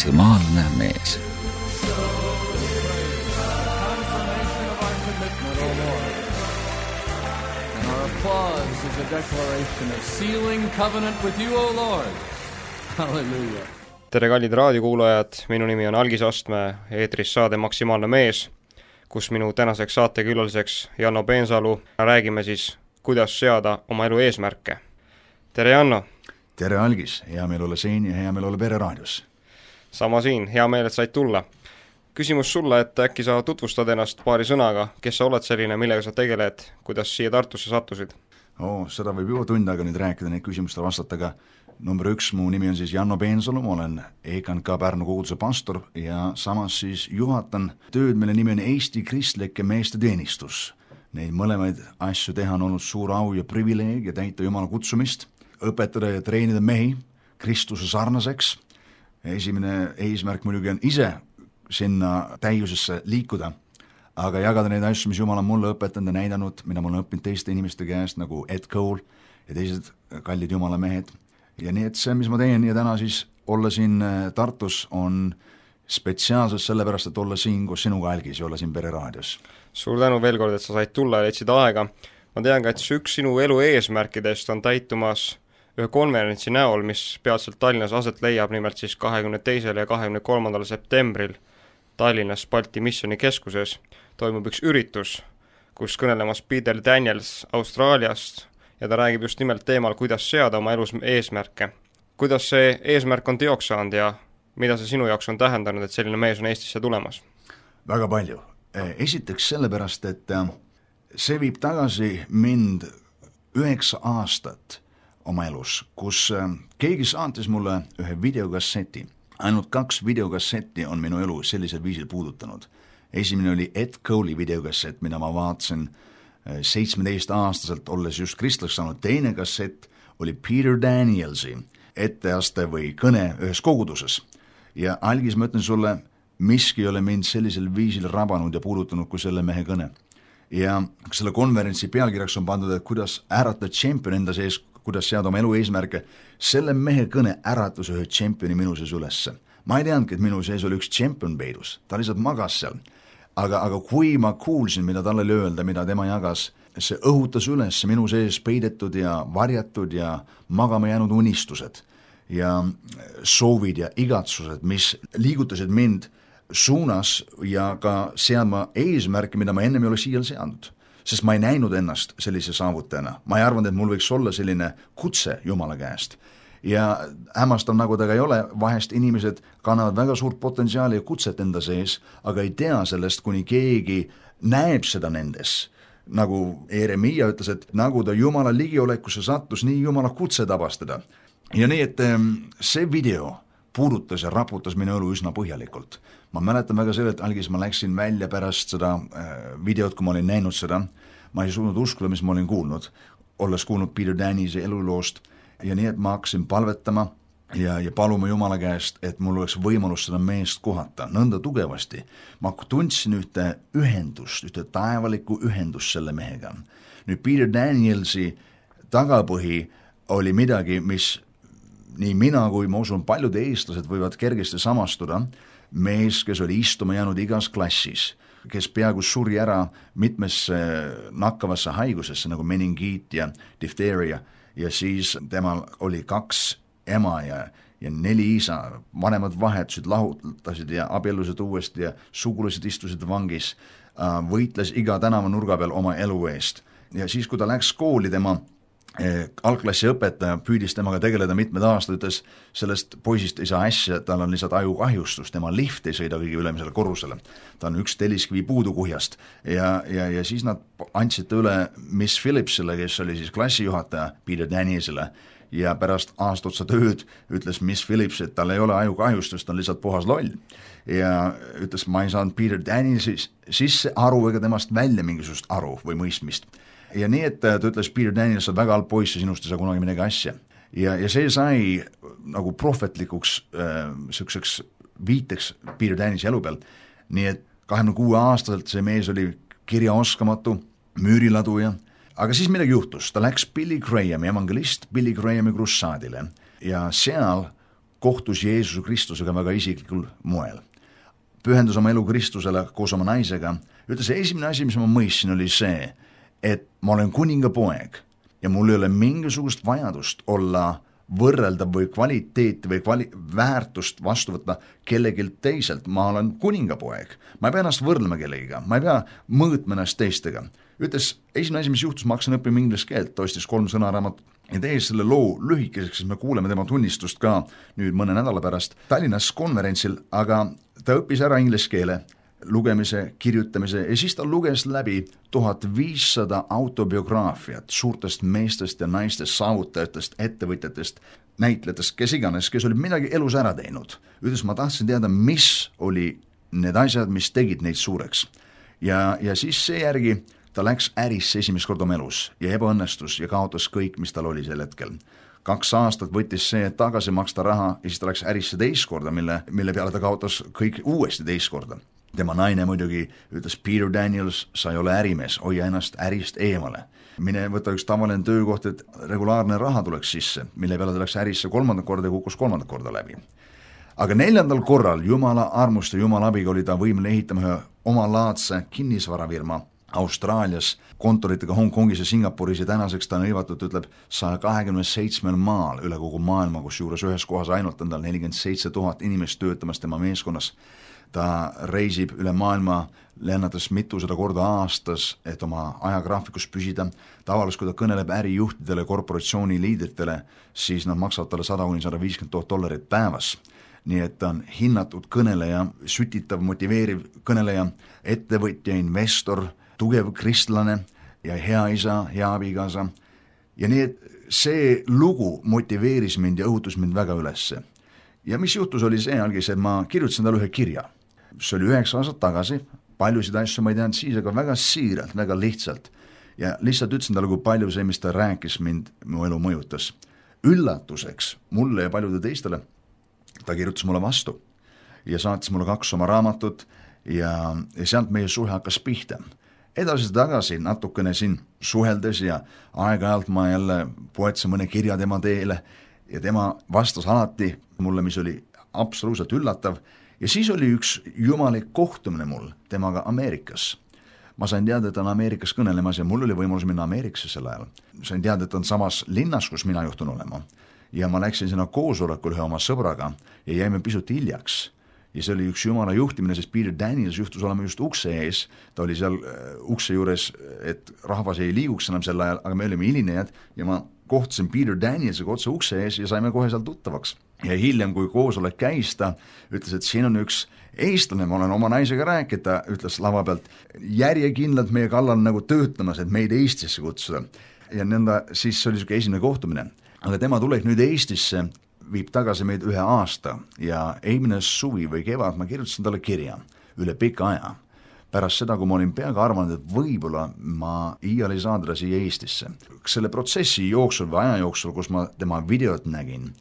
maksimaalne mees. Applause is a declaration of sealing covenant with you, O Lord. Hallelujah. Tere kallid raadiokuulajad, minu nimi on Algis Astme, eetris saade Maksimaalne mees, kus minu tänaseks saatekülaliseks Janno Peensalu räägime siis, kuidas seada oma elu eesmärke. Tere Janno! Tere Algis, hea meel olla siin ja hea meel olla Pere raadios. Sama siin, hea meel, et said tulla. Küsimus sulle, et äkki sa tutvustad ennast paari sõnaga, kes sa oled selline, millega sa tegeled, kuidas siia Tartusse sattusid? Seda võib juba tund aega nüüd rääkida, neid küsimustele vastata, aga number 1, mu nimi on siis Janno Peensalu, ma olen EKNK Pärnu koguduse pastor ja samas siis juhatan tööd, mille nimi on Eesti Kristlike Meeste Teenistus. Neid mõlemaid asju teha on olnud suur au ja privileeg ja täita Jumala kutsumist, õpetada ja treenida mehi Kristuse sarnaseks. Esimene eesmärk muidugi on ise sinna täiusesse liikuda, aga jagada neid asju, mis Jumal on mulle õpetanud ja näidanud, mida ma olen õppinud teiste inimeste käest, nagu Ed Cole ja teised kallid Jumala mehed. Ja nii, et see, mis ma teen ja täna siis olla siin Tartus, on spetsiaalselt sellepärast, et olla siin koos sinuga, Algis, ja olla siin Pere raadios. Suur tänu veel kord, et sa said tulla ja leidsid aega. Ma tean ka, et üks sinu elu eesmärkidest on täitumas ühe konverentsi näol, mis peatselt Tallinnas aset leiab, nimelt siis 22. ja 23. septembril Tallinnas Balti Missioni keskuses toimub üks üritus, kus kõnelemas Peter Daniels Austraaliast ja ta räägib just nimelt teemal, kuidas seada oma elus eesmärke. Kuidas see eesmärk on teoks saanud ja mida see sinu jaoks on tähendanud, et selline mees on Eestisse tulemas? Väga palju. Esiteks sellepärast, et see viib tagasi mind 9 aastat oma elus, kus keegi saatis mulle ühe videokasseti. Ainult 2 videokassetti on minu elu sellisel viisil puudutanud. Esimene oli Ed Cole'i videokassett, mida ma vaatasin 17-aastaselt, olles just kristlaks saanud. Teine kassett oli Peter Danielsi etteaste või kõne ühes koguduses. Ja Algis, ma ütlen sulle, miski ei ole mind sellisel viisil rabanud ja puudutanud kui selle mehe kõne. Ja selle konverentsi pealkirjaks on pandud, et kuidas ärata tšempion enda sees, kuidas seada oma elu eesmärke. Selle mehe kõne äratus ühe tšempioni minu sees ülesse. Ma ei teadnudki, et minu sees oli üks tšempion peidus. Ta lihtsalt magas seal. Aga kui ma kuulsin, mida talle öelda, mida tema jagas, see õhutas üles minu sees peidetud ja varjatud ja magama jäänud unistused ja soovid ja igatsused, mis liigutasid mind suunas ja ka seadma eesmärki, mida ma ennem ei ole siia seadnud. Sest ma ei näinud ennast sellise saavutajana. Ma ei arvanud, et mul võiks olla selline kutse Jumala käest. Ja hämmastav, nagu ta ei ole, vahest inimesed kannavad väga suurt potentsiaali ja kutset enda sees, aga ei tea sellest, kuni keegi näeb seda nendes. Nagu Jeremia ütles, et nagu ta Jumala ligiolekusse sattus, nii Jumala kutse tabastada. Ja nii, et see video puudutas ja raputas minu elu üsna põhjalikult. Ma mäletan väga selle, et Algis, ma läksin välja pärast seda videot, kui ma olin näinud seda. Ma ei suutnud uskuda, mis ma olin kuulnud, olles kuulnud Peter Danielsi eluloost. Ja nii, et ma hakkasin palvetama ja paluma Jumala käest, et mul oleks võimalus seda meest kohata nõnda tugevasti. Ma tundsin ühte ühendust, ühte taevalikku ühendust selle mehega. Nüüd Peter Danielsi tagapõhi oli midagi, mis nii mina kui ma usun paljud eestlased võivad kergesti samastuda. Mees, kes oli istuma jäänud igas klassis, kes peaaegu suri ära mitmesse nakkavasse haigusesse nagu meningiit ja difteeria ja siis temal oli 2 ema ja 4 isa, vanemad vahetusid, lahutasid ja abiellusid uuesti ja sugulased istusid vangis, võitles iga tänava nurga peal oma elu eest. Ja siis, kui ta läks kooli, tema algklassi õpetaja püüdis temaga tegeleda mitmed aastad, ütles, sellest poisist ei saa asja, tal on lihtsalt ajukahjustus, tema lift ei sõida kõige ülemisele korrusele. Ta on 1 telliskivi puudu kuhjast ja siis nad andsid üle Miss Phillipsile, kes oli siis klassijuhataja Peter Danielsile ja pärast aastotsa tööd ütles Miss Phillips, et tal ei ole ajukahjustust, ta on lihtsalt puhas loll. Ja ütles, ma ei saanud Peter Danielsi sisse aru ega temast välja mingisugust aru või mõistmist. Ja nii, et ta ütles, Peter Daniels on väga halb poiss ja sinust ei saa kunagi midagi asja. Ja see sai nagu prohvetlikuks selliseks viiteks Peter Danielsi elu peal. Nii, et 26 aastaselt see mees oli kirjaoskamatu, müüriladuja, aga siis midagi juhtus. Ta läks Billy Grahami, evangelist Billy Grahami krussaadile ja seal kohtus Jeesuse Kristusega väga isiklikul moel. Pühendus oma elu Kristusele koos oma naisega, ütles esimene asi, mis ma mõistsin, oli see, et ma olen kuninga poeg ja mul ei ole mingisugust vajadust olla võrreldav või kvaliteeti või väärtust vastu võtta kellegi teiselt. Ma olen kuningapoeg, ma ei pea ennast võrdlema kellegiga, ma ei pea mõõtma ennast teistega. Ütles, esimene asi, mis juhtus, ma hakkasin õppima inglise keelt, ta ostis 3 sõnaraamat ja tehes selle loo lühikeseks, siis me kuuleme tema tunnistust ka nüüd mõne nädala pärast Tallinnas konverentsil, aga ta õppis ära inglise keele, lugemise, kirjutamise ja siis ta luges läbi 1500 autobiograafiat suurtest meestest ja naistest, saavutajatest, ettevõtjatest, näitlejatest, kes iganes, kes olid midagi elus ära teinud. Ütles, ma tahtsin teada, mis oli need asjad, mis tegid neid suureks. Ja siis seejärgi ta läks ärisse esimest korda oma elus ja ebaõnnestus ja kaotas kõik, mis tal oli sel hetkel. 2 aastat võttis see, et tagasi maksta raha ja siis ta läks ärisse teist korda, mille peale ta kaotas kõik uuesti teist korda. Tema naine muidugi ütles, Peter Daniels, sa ei ole ärimees, hoia ennast ärist eemale. Mine võta üks tavaline töökoht, et regulaarne raha tuleks sisse, mille peale ta läks ärisse 3. korda ja kukkus 3. korda läbi. Aga 4. korral Jumala armust ja Jumala abiga oli ta võimeline ehitama ühe omalaadse kinnisvarafirma Austraalias, kontoritega Hongkongis ja Singapuris ja tänaseks ta on hõivatud, ütleb, 127 maal üle kogu maailma, kus juures ühes kohas ainult on tal 47 000 inimest töötamas tema meeskonnas. Ta reisib üle maailma, lennates mitusada korda aastas, et oma ajagraafikus püsida. Tavaliselt, kui ta kõneleb ärijuhtidele, korporatsiooni liidritele, siis nad maksavad talle $100,000–150,000 päevas. Nii et ta on hinnatud kõneleja, sütitav, motiveeriv kõneleja, ettevõtja, investor, tugev kristlane ja hea isa, hea abikaasa. Ja nii et see lugu motiveeris mind ja õhutus mind väga ülesse. Ja mis juhtus oli see algis, et ma kirjutasin talle ühe kirja. See oli 9 aastat tagasi, paljusid asju ma ei teadnud siis, aga väga siiralt, väga lihtsalt. Ja lihtsalt ütlesin talle, kui palju see, mis ta rääkis mind, mu elu mõjutas. Üllatuseks mulle ja paljude teistele ta kirjutas mulle vastu ja saatis mulle 2 oma raamatut ja sealt meie suhe hakkas pihta. Edasi tagasi natukene siin suheldes ja aeg-ajalt ma jälle poetsin mõne kirja tema teele ja tema vastas alati mulle, mis oli absoluutselt üllatav. Ja siis oli üks jumalik kohtumine mul temaga Ameerikas. Ma sain teada, et ta on Ameerikas kõnelemas ja mul oli võimalus minna Ameerikasse sel ajal. Sain teada, et on samas linnas, kus mina juhtun olema. Ja ma läksin sinna koosolekul ühe oma sõbraga ja jäime pisut hiljaks. Ja see oli üks jumala juhtimine, sest Peter Daniels juhtus olema just ukse ees. Ta oli seal ukse juures, et rahvas ei liiguks enam sel ajal, aga me olime hilinejad ja ma kohtasin Peter Danielsega otse ukse ees ja saime kohe seal tuttavaks. Ja hiljem, kui koosolek käis, ta ütles, et siin on üks eestlane, ma olen oma naisega rääkinud, ta ütles lava pealt järjekindlalt meie kallal nagu töötamas, et meid Eestisse kutsuda. Ja nõnda, siis oli selline esimene kohtumine. Aga tema tulek nüüd Eestisse viib tagasi meid 1 aasta ja eelmine suvi või kevad ma kirjutasin talle kirja üle pika aja. Pärast seda, kui ma olin peaga arvanud, et võib-olla ma iial ei saa teda siia Eestisse. Selle protsessi jooksul või aja jooksul, kus ma tema videot nägin,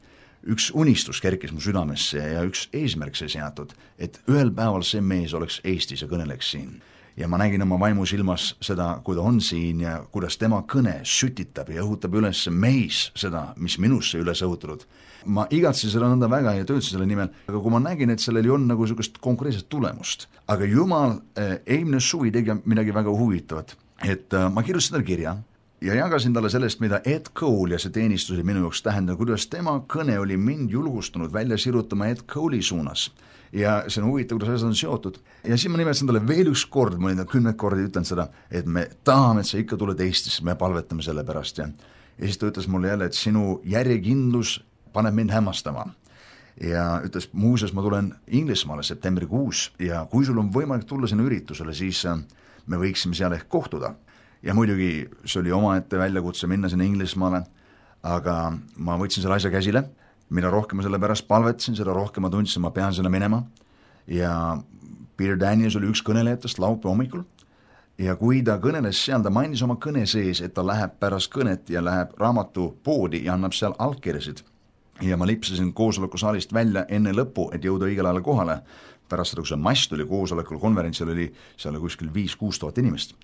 üks unistus kerkis mu südamesse ja üks eesmärk see seatud, et ühel päeval see mees oleks Eestis ja kõneleks siin. Ja ma nägin oma vaimu silmas seda, kui ta on siin ja kuidas tema kõne sütitab ja õhutab üles meis seda, mis minusse üles õhutanud. Ma igatsin seda nõnda väga ja töötasin selle nimel, aga kui ma nägin, et sellel ei olnud nagu sellist konkreetset tulemust. Aga Jumal eelmine suvi tegi midagi väga huvitavat, et ma kirjutasin talle kirja ja jagasin talle sellest, mida Ed Cole ja see teenistus oli minu jaoks tähendanud, kuidas tema kõne oli mind julgustanud välja sirutama Ed Cole'i suunas. Ja see on huvitav, kuidas asjad on seotud. Ja siis ma nimetasin talle veel üks kord, ma olin 10 korda ütlen seda, et me tahame, et sa ikka tuled Eestisse, me palvetame selle pärast. Ja siis ta ütles mulle jälle, et sinu järjekindlus paneb mind hämmastama. Ja ütles, muuseas ma tulen Inglismaale septembrikuus ja kui sul on võimalik tulla sinna üritusele, siis me võiksime seal ehk kohtuda. Ja muidugi see oli omaette väljakutse minna sinna Inglismaale, aga ma võtsin selle asja käsile. Mida rohkem ma selle pärast palvetasin, seda rohkem ma tundsin, ma pean sinna minema. Ja Peter Daniels oli üks kõnelejatest laupäeva hommikul. Ja kui ta kõneles seal, ta mainis oma kõne sees, et ta läheb pärast kõnet ja läheb raamatupoodi ja annab seal allkirjasid. Ja ma lipsasin koosolekusaalist välja enne lõppu, et jõuda õigel ajal kohale. Pärast seda, kui see mast oli koosolekul, konverentsil oli seal kuskil 5-6 tuhat inimest.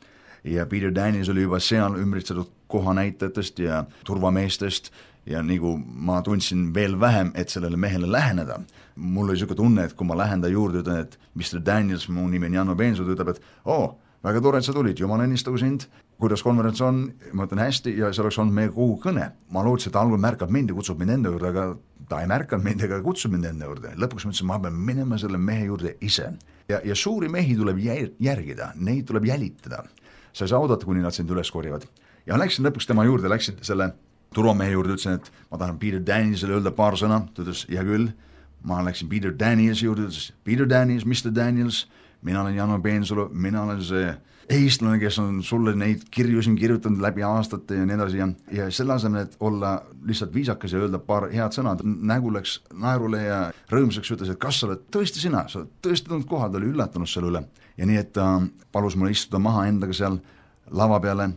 ja Peter Daniels oli juba seal ümbritsetud kohanäitajatest ja turvameestest ja nagu ma tundsin veel vähem, et sellele mehele läheneda. Mul oli niisugune tunne, et kui ma lähen ta juurde, ütlen, et Mr. Daniels, mu nimi on Janno Peensu, ta ütleb, et väga tore, et sa tulid, jumal õnnistagu sind, kuidas konverents on, ma ütlen hästi ja see oleks olnud meie kogu kõne. Ma loodsin, et algul märkab mind ja kutsub mind enda juurde, aga ta ei märkanud mind ega kutsub mind enda juurde. Lõpuks ma ütlesin, ma pean minema selle mehe juurde ise. Ja suuri mehi tuleb järgida, neid tuleb jälitada. Sa ei saa oodata, kuni nad sind üles korjavad. Ja läksin lõpuks tema juurde, läksin selle turvamehe juurde, ütlesin, et ma tahan Peter Danielsile öelda paar sõna, ta ütles, ja küll, ma läksin Peter Danielsi juurde, ütles, Peter Daniels, Mr. Daniels, mina olen Janno Peensulu, mina olen see eestlane, kes on sulle neid kirju siin kirjutanud läbi aastate ja nii edasi ja selle asemel, et olla lihtsalt viisakas ja öelda paar head sõna, nägu läks naerule ja rõõmsaks ütles, et kas sa oled tõesti sina, sa oled tõesti tulnud kohal, ta oli üllatunud selle üle ja nii, et palus mulle istuda maha endaga seal lava peale,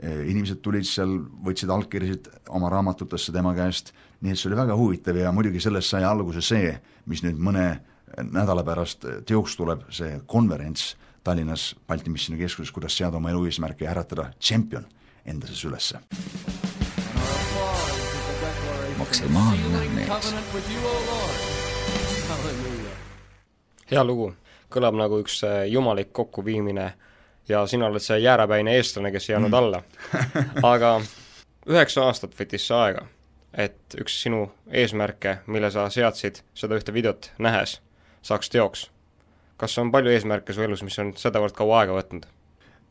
inimesed tulid seal, võtsid allkirjasid oma raamatutesse tema käest, nii et see oli väga huvitav ja muidugi sellest sai alguse see, mis nüüd mõne nädala pärast teoks tuleb see konverents Tallinnas Balti Missiooni Keskuses, kuidas seada oma elu eesmärki ja äratada tšempion enda sees ülesse. Maksimaalne mees. Hea lugu, kõlab nagu üks jumalik kokkuviimine ja sina oled see jäärapäine eestlane, kes ei jäänud alla. Aga 9 aastat võttis see aega, et üks sinu eesmärke, mille sa seadsid seda ühte videot nähes, saaks teoks. Kas on palju eesmärke su elus, mis on sedavõrd kaua aega võtnud?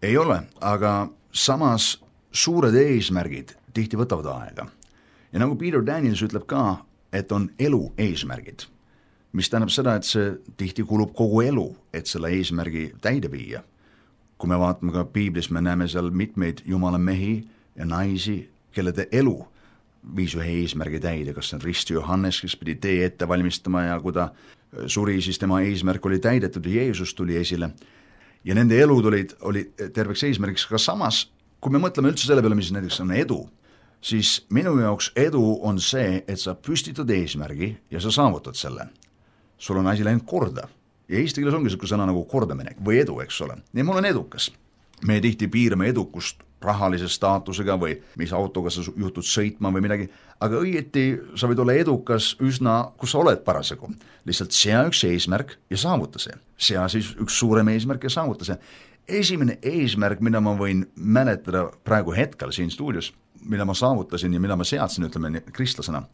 Ei ole, aga samas suured eesmärgid tihti võtavad aega. Ja nagu Peter Daniels ütleb ka, et on elu eesmärgid, mis tähendab seda, et see tihti kulub kogu elu, et selle eesmärgi täide viia. Kui me vaatame ka Piiblis, me näeme seal mitmeid jumala mehi ja naisi, kelle elu viis ühe eesmärgi täide, kas see on Risti Johannes, kes pidi tee ette valmistama ja kui ta suri, siis tema eesmärk oli täidetud ja Jeesus tuli esile. Ja nende elud oli terveks eesmärgiks, aga samas, kui me mõtleme üldse selle peale, mis näiteks on edu, siis minu jaoks edu on see, et sa püstitad eesmärgi ja sa saavutad selle. Sul on asi läinud korda. Ja eesti keeles ongi sõna nagu kordamine või edu, eks ole. Ja mul on edukas. Me tihti piirame edukust rahalise staatusega või mis autoga sa juhtud sõitma või midagi, aga õieti sa võid olla edukas üsna, kus sa oled parasjagu. Lihtsalt sea üks eesmärk ja saavuta see. Sea siis üks suurem eesmärk ja saavuta see. Esimene eesmärk, mida ma võin mäletada praegu hetkel siin stuudios, mida ma saavutasin ja mida ma seadsin, ütleme kristlasena,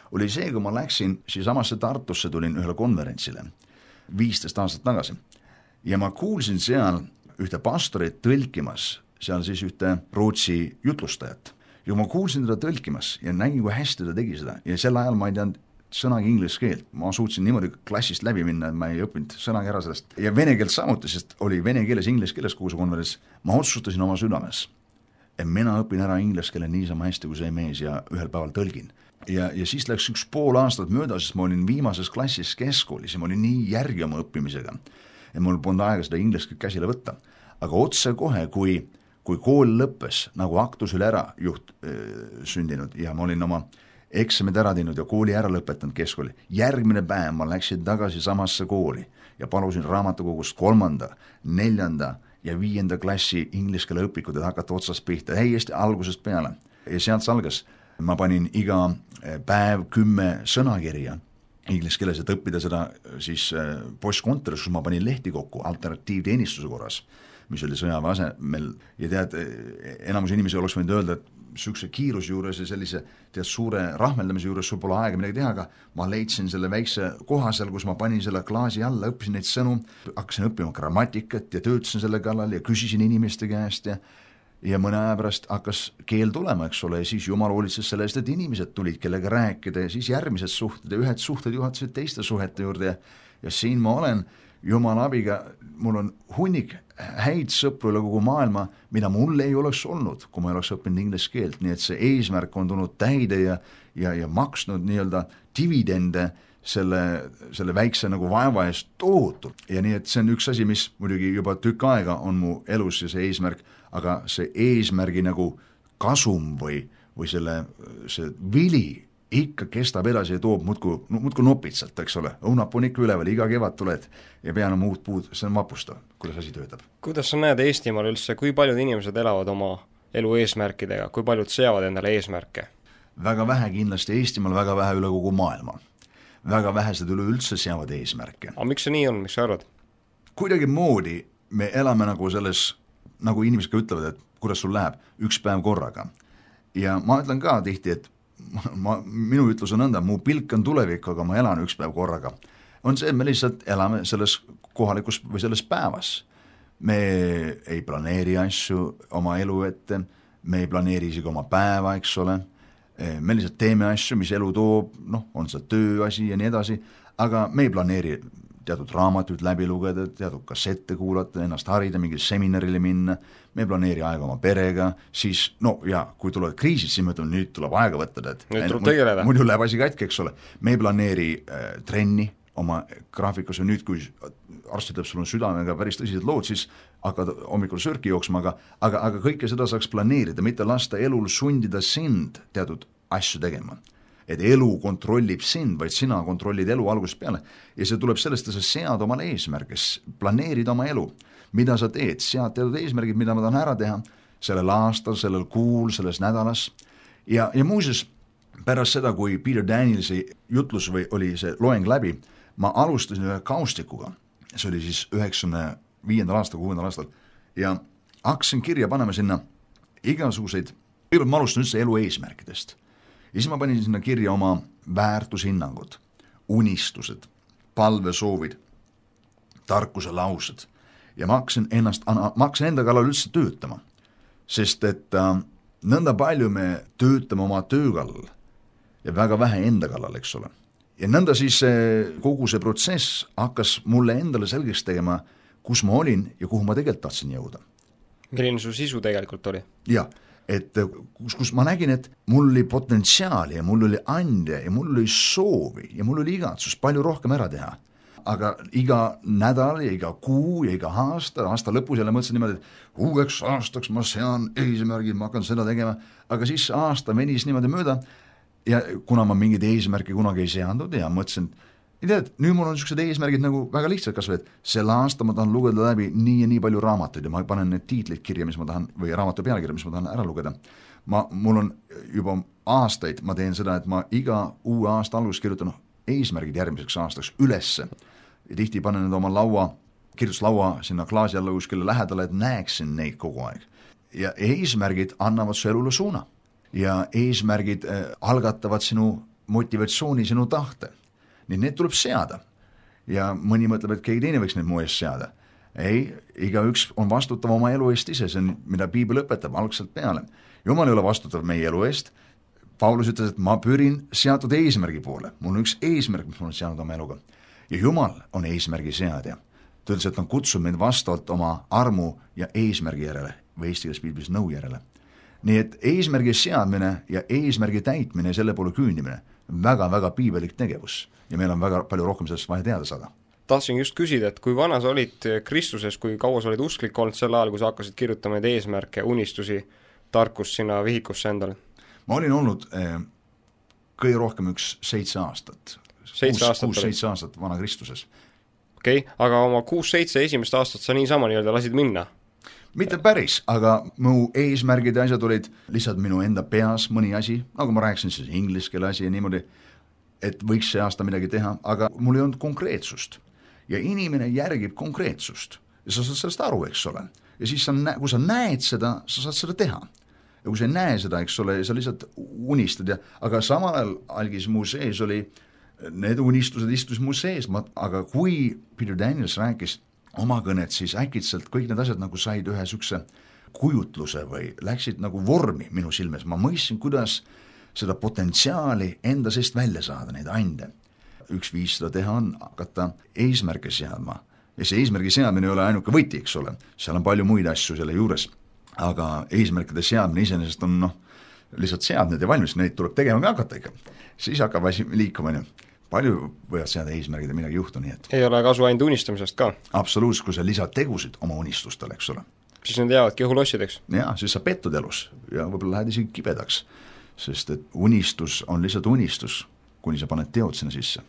oli see, kui ma läksin samasse Tartusse, tulin ühele konverentsile 15 aastat tagasi ja ma kuulsin seal ühte pastorit tõlkimas, seal siis ühte Rootsi jutlustajat. Ja ma kuulsin teda tõlkimas ja nägin, kui hästi ta tegi seda. Ja sel ajal ma ei teadnud sõnagi inglise keelt. Ma suutsin niimoodi klassist läbi minna, et ma ei õppinud sõnagi ära sellest. Ja vene keelt samuti, sest oli vene keeles, inglise keeles kogu see konverents. Ma otsustasin oma südames, et mina õpin ära inglise keele niisama hästi kui see mees ja ühel päeval tõlgin. Ja siis läks 1,5 aastat mööda, sest ma olin viimases klassis keskkoolis ja ma olin nii järgi oma õppimisega. Ja mul polnud aega seda inglise käsile võtta. Aga otse kohe, kui kool lõppes, nagu aktus üle ära sündinud ja ma olin oma eksamid ära teinud ja kooli ära lõpetanud keskkooli, järgmine päev ma läksin tagasi samasse kooli ja palusin raamatukogust 3., 4. ja 5. klassi inglise keele õpikud, et hakata otsast pihta, häiesti algusest peale. Ja sealt algas, ma panin iga päev 10 sõnakirja inglise keeles, et õppida seda siis postkontoris, kus ma panin lehti kokku alternatiivteenistuse korras, mis oli sõjaväe asemel ja tead, enamus inimesi oleks võinud öelda, et sükse kiiruse juures ja sellise suure rahmeldamise juures sul pole aega midagi teha, aga ma leidsin selle väikse koha seal, kus ma panin selle klaasi alla, õppisin neid sõnu, hakkasin õppima grammatikat ja töötasin selle kallal ja küsisin inimeste käest ja mõne aja pärast hakkas keel tulema, eks ole, ja siis Jumal hoolitses selle eest, et inimesed tulid, kellega rääkida ja siis järgmised suhted ja ühed suhted juhatasid teiste suhete juurde ja siin ma olen Jumala abiga, mul on hunnik häid sõpru üle kogu maailma, mida mul ei oleks olnud, kui ma ei oleks õppinud inglise keelt, nii et see eesmärk on tulnud täide ja maksnud nii-öelda dividende selle väikse nagu vaeva eest tohutult. Ja nii, et see on üks asi, mis muidugi juba tükk aega on mu elus ja see eesmärk, aga see eesmärgi nagu kasum või see vili ikka kestab edasi ja toob muudku nopitsalt, eks ole, õunap on ikka üleval, iga kevad tuled ja pean oma uut puud, see on vapustav, kuidas asi töötab. Kuidas sa näed Eestimaal üldse, kui paljud inimesed elavad oma elu eesmärkidega, kui paljud seavad endale eesmärke? Väga vähe kindlasti Eestimaal, väga vähe üle kogu maailma. Väga vähesed üleüldse seavad eesmärke. Aga miks see nii on, miks sa arvad? Kuidagi moodi me elame nagu selles, nagu inimesed ka ütlevad, et kuidas sul läheb, üks päev korraga. Ja ma ütlen ka tihti, et minu ütlus on nõnda, mu pilk on tulevik, aga ma elan üks päev korraga. On see, et me lihtsalt elame selles kohalikus või selles päevas. Me ei planeeri asju oma elu ette, me ei planeeri isegi oma päeva, eks ole. Me lihtsalt teeme asju, mis elu toob, on see tööasi ja nii edasi, aga me ei planeeri teatud raamatuid läbi lugeda, teatud kassette kuulata, ennast harida, mingil seminarile minna, me ei planeeri aega oma perega, siis kui tulevad kriisid, siis me ütleme, nüüd tuleb aega võtta, nüüd tuleb tegeleda. Muidu läheb asi katki, eks ole. Me ei planeeri trenni oma graafikus ja nüüd, kui arst ütleb, sul on südamega päris tõsised lood, siis hakkad hommikul sörki jooksma, aga kõike seda saaks planeerida, mitte lasta elul sundida sind teatud asju tegema. Et elu kontrollib sind, vaid sina kontrollid elu algusest peale. Ja see tuleb sellest, et sa sead omale eesmärgis, planeerid oma elu, mida sa teed, sead teatud eesmärgid, mida ma tahan ära teha sellel aastal, sellel kuul, selles nädalas. Ja muuseas, pärast seda, kui Peter Danielsi jutlus või oli see loeng läbi, ma alustasin ühe kaustikuga, see oli siis 95. aastal, 6. aastal, ja hakkasin kirja panema sinna igasuguseid, kõigepealt ma alustan üldse elu eesmärkidest. Ja siis ma panin sinna kirja oma väärtushinnangud, unistused, palvesoovid, tarkuse laused ja ma hakkasin enda kallal üldse töötama, sest et nõnda palju me töötame oma töö kallal ja väga vähe enda kallal, eks ole. Ja nõnda siis kogu see protsess hakkas mulle endale selgeks tegema, kus ma olin ja kuhu ma tegelikult tahtsin jõuda. Milline su sisu tegelikult oli? Jah. Et kus ma nägin, et mul oli potentsiaali ja mul oli ande ja mul oli soovi ja mul oli igatsus palju rohkem ära teha. Aga iga nädal ja iga kuu ja iga aasta lõpus jälle mõtlesin niimoodi, et uueks aastaks ma sean eesmärgid, ma hakkan seda tegema, aga siis aasta venis niimoodi mööda ja kuna ma mingid eesmärki kunagi ei seandud ja mõtlesin, nüüd mul on niisugused eesmärgid nagu väga lihtsalt, kas või, et selle aasta ma tahan lugeda läbi nii ja nii palju raamatuid ja ma panen need tiitlid kirja, mis ma tahan, või raamatu pealkirja, mis ma tahan ära lugeda. Mul on juba aastaid, ma teen seda, et ma iga uue aasta alguses kirjutan eesmärgid järgmiseks aastaks ülesse ja tihti panen need oma kirjutuslaua sinna klaasi alla kuskile lähedale, et näeksin neid kogu aeg. Ja eesmärgid annavad su elule suuna ja eesmärgid algatavad sinu motivatsiooni, sinu tahte. Nii need tuleb seada ja mõni mõtleb, et keegi teine võiks need mu eest seada. Ei, igaüks on vastutav oma elu eest ise, see on, mida Piibel õpetab algselt peale. Jumal ei ole vastutav meie elu eest. Paulus ütles, et ma pürin seatud eesmärgi poole. Mul on üks eesmärk, mis mul on seanud oma eluga. Ja Jumal on eesmärgi seadja. Ta ütles, et on kutsub meid vastavalt oma armu ja eesmärgi järele või eesti keeles Piiblis nõu järele. Nii et eesmärgi seadmine ja eesmärgi täitmine ja selle poole küündimine väga-väga piibelik tegevus ja meil on väga palju rohkem sellest vaja teada saada. Tahtsin just küsida, et kui vana sa olid Kristuses, kui kaua sa olid usklik olnud sel ajal, kui sa hakkasid kirjutama neid eesmärke, unistusi, tarkust sinna vihikusse endale? Ma olin olnud kõige rohkem 7 aastat. 6-7 aastat vana Kristuses. Okei, aga oma 6-7 esimest aastat sa niisama nii-öelda lasid minna? Mitte päris, aga mu eesmärgid ja asjad olid lihtsalt minu enda peas mõni asi, nagu ma rääkisin siis inglise keele asi ja niimoodi, et võiks see aasta midagi teha, aga mul ei olnud konkreetsust. Ja inimene järgib konkreetsust ja sa saad sellest aru, eks ole. Ja siis kui sa näed seda, sa saad seda teha. Ja kui sa ei näe seda, eks ole, sa lihtsalt unistad, aga samal ajal algis mu sees oli, need unistused istus mu sees, aga kui Peter Daniels rääkis oma kõnet, siis äkitselt kõik need asjad nagu said ühe sükse kujutluse või läksid nagu vormi minu silmes. Ma mõistsin, kuidas seda potentsiaali enda seest välja saada, neid ande. Üks viis seda teha on hakata eesmärke seadma. Ja see eesmärgi seadmine ei ole ainuke võti, eks ole. Seal on palju muid asju selle juures. Aga eesmärkide seadmine iseenesest on lihtsalt seadmed ja valmis, neid tuleb tegema ka hakata ikka. Siis hakkab asi liikuma. Palju võivad seada eesmärgid ja midagi juhtu, nii et... Ei ole kasu ainult unistamisest ka? Absoluutselt, kui sa lisad tegusid oma unistustele, eks ole. Siis need jäävadki õhulossideks? Jaa, siis sa pettud elus ja võib-olla lähed isegi kibedaks. sest et unistus on lihtsalt unistus, kuni sa paned teod sinna sisse.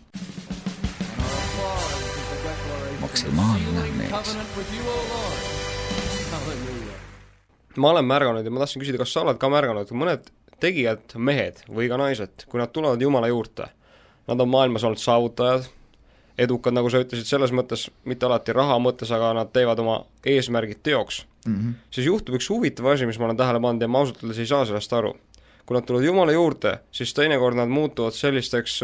Maksimaalne mees. Ma olen märganud ja ma tahtsin küsida, kas sa oled ka märganud, mõned tegijad, mehed või ka naised, kui nad tulevad Jumala juurde, nad on maailmas olnud saavutajad, edukad, nagu sa ütlesid, selles mõttes, mitte alati raha mõttes, aga nad teevad oma eesmärgid teoks. Siis juhtub üks huvitav asi, mis ma olen tähele pannud ja ma ausalt öeldes ei saa sellest aru. Kui nad tulevad Jumala juurde, siis teinekord nad muutuvad sellisteks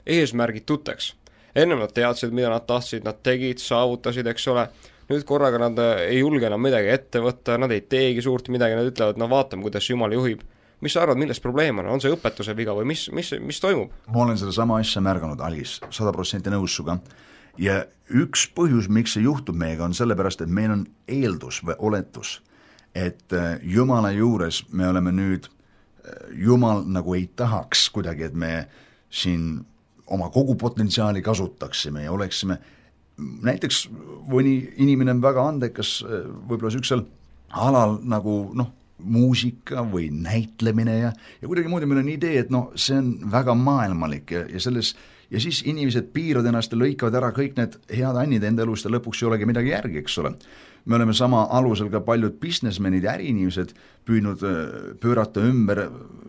eesmärgituteks. Ennem nad teadsid, mida nad tahtsid, nad tegid, saavutasid, eks ole. Nüüd korraga nad ei julge enam midagi ette võtta, nad ei teegi suurt midagi, nad ütlevad, no vaatame, kuidas Jumal juhib. Mis sa arvad, milles probleem on see õpetuse viga või mis toimub? Ma olen seda sama asja märganud, Algis, 100% nõus suga. Ja üks põhjus, miks see juhtub meiega, on sellepärast, et meil on eeldus või oletus, et Jumala juures me oleme nüüd, Jumal nagu ei tahaks kuidagi, et me siin oma kogu potentsiaali kasutaksime ja oleksime, näiteks mõni inimene on väga andekas võib-olla süksel alal nagu muusika või näitlemine ja kuidagi muidu meil on idee, et see on väga maailmalik ja selles ja siis inimesed piiravad ennast ja lõikavad ära kõik need head annid enda elust ja lõpuks ei olegi midagi järgi, eks ole. Me oleme sama alusel ka paljud businessmenid ja äriinimesed püüdnud pöörata ümber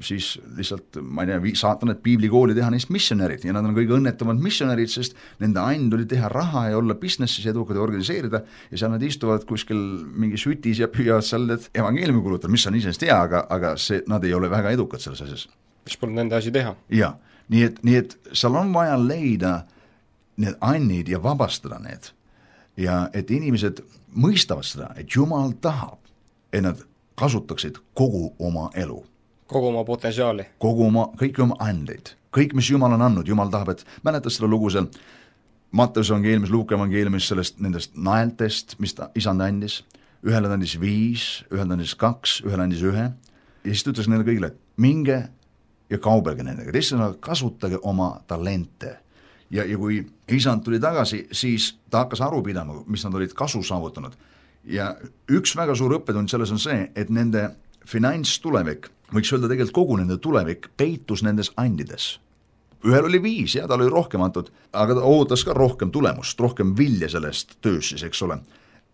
siis lihtsalt, ma ei tea, saata need piiblikooli teha neist missionärid ja nad on kõige õnnetumad missionärid, sest nende aind oli teha raha ja olla businessis edukad ja organiseerida ja seal nad istuvad kuskil mingi sütis ja püüavad seal need evangeeliumi kulutada, mis on isest hea, aga nad ei ole väga edukad selles asjas. Mis pole nende asi teha? Jaa, nii et seal on vaja leida need annid ja vabastada need ja et inimesed mõistavad seda, et Jumal tahab, et nad kasutaksid kogu oma elu. Kogu oma potentsiaali. Kõiki oma andeid. Kõik, mis Jumal on andnud, Jumal tahab, et mäletad seda lugu seal Matteuse evangeeliumis, Luuka evangeeliumis sellest nendest naeltest, mis ta isand andis. Ühele andis 5, ühele andis 2, ühele andis 1 ja siis ta ütles neile kõigile, et minge ja kaubelge nendega, teisena kasutage oma talente. Ja kui isand tuli tagasi, siis ta hakkas aru pidama, mis nad olid kasu saavutanud. Ja üks väga suur õppetund selles on see, et nende finantstulevik, võiks öelda tegelikult kogu nende tulevik, peitus nendes andides. Ühel oli 5 ja tal oli rohkem antud, aga ta ootas ka rohkem tulemust, rohkem vilja sellest töös siis, eks ole.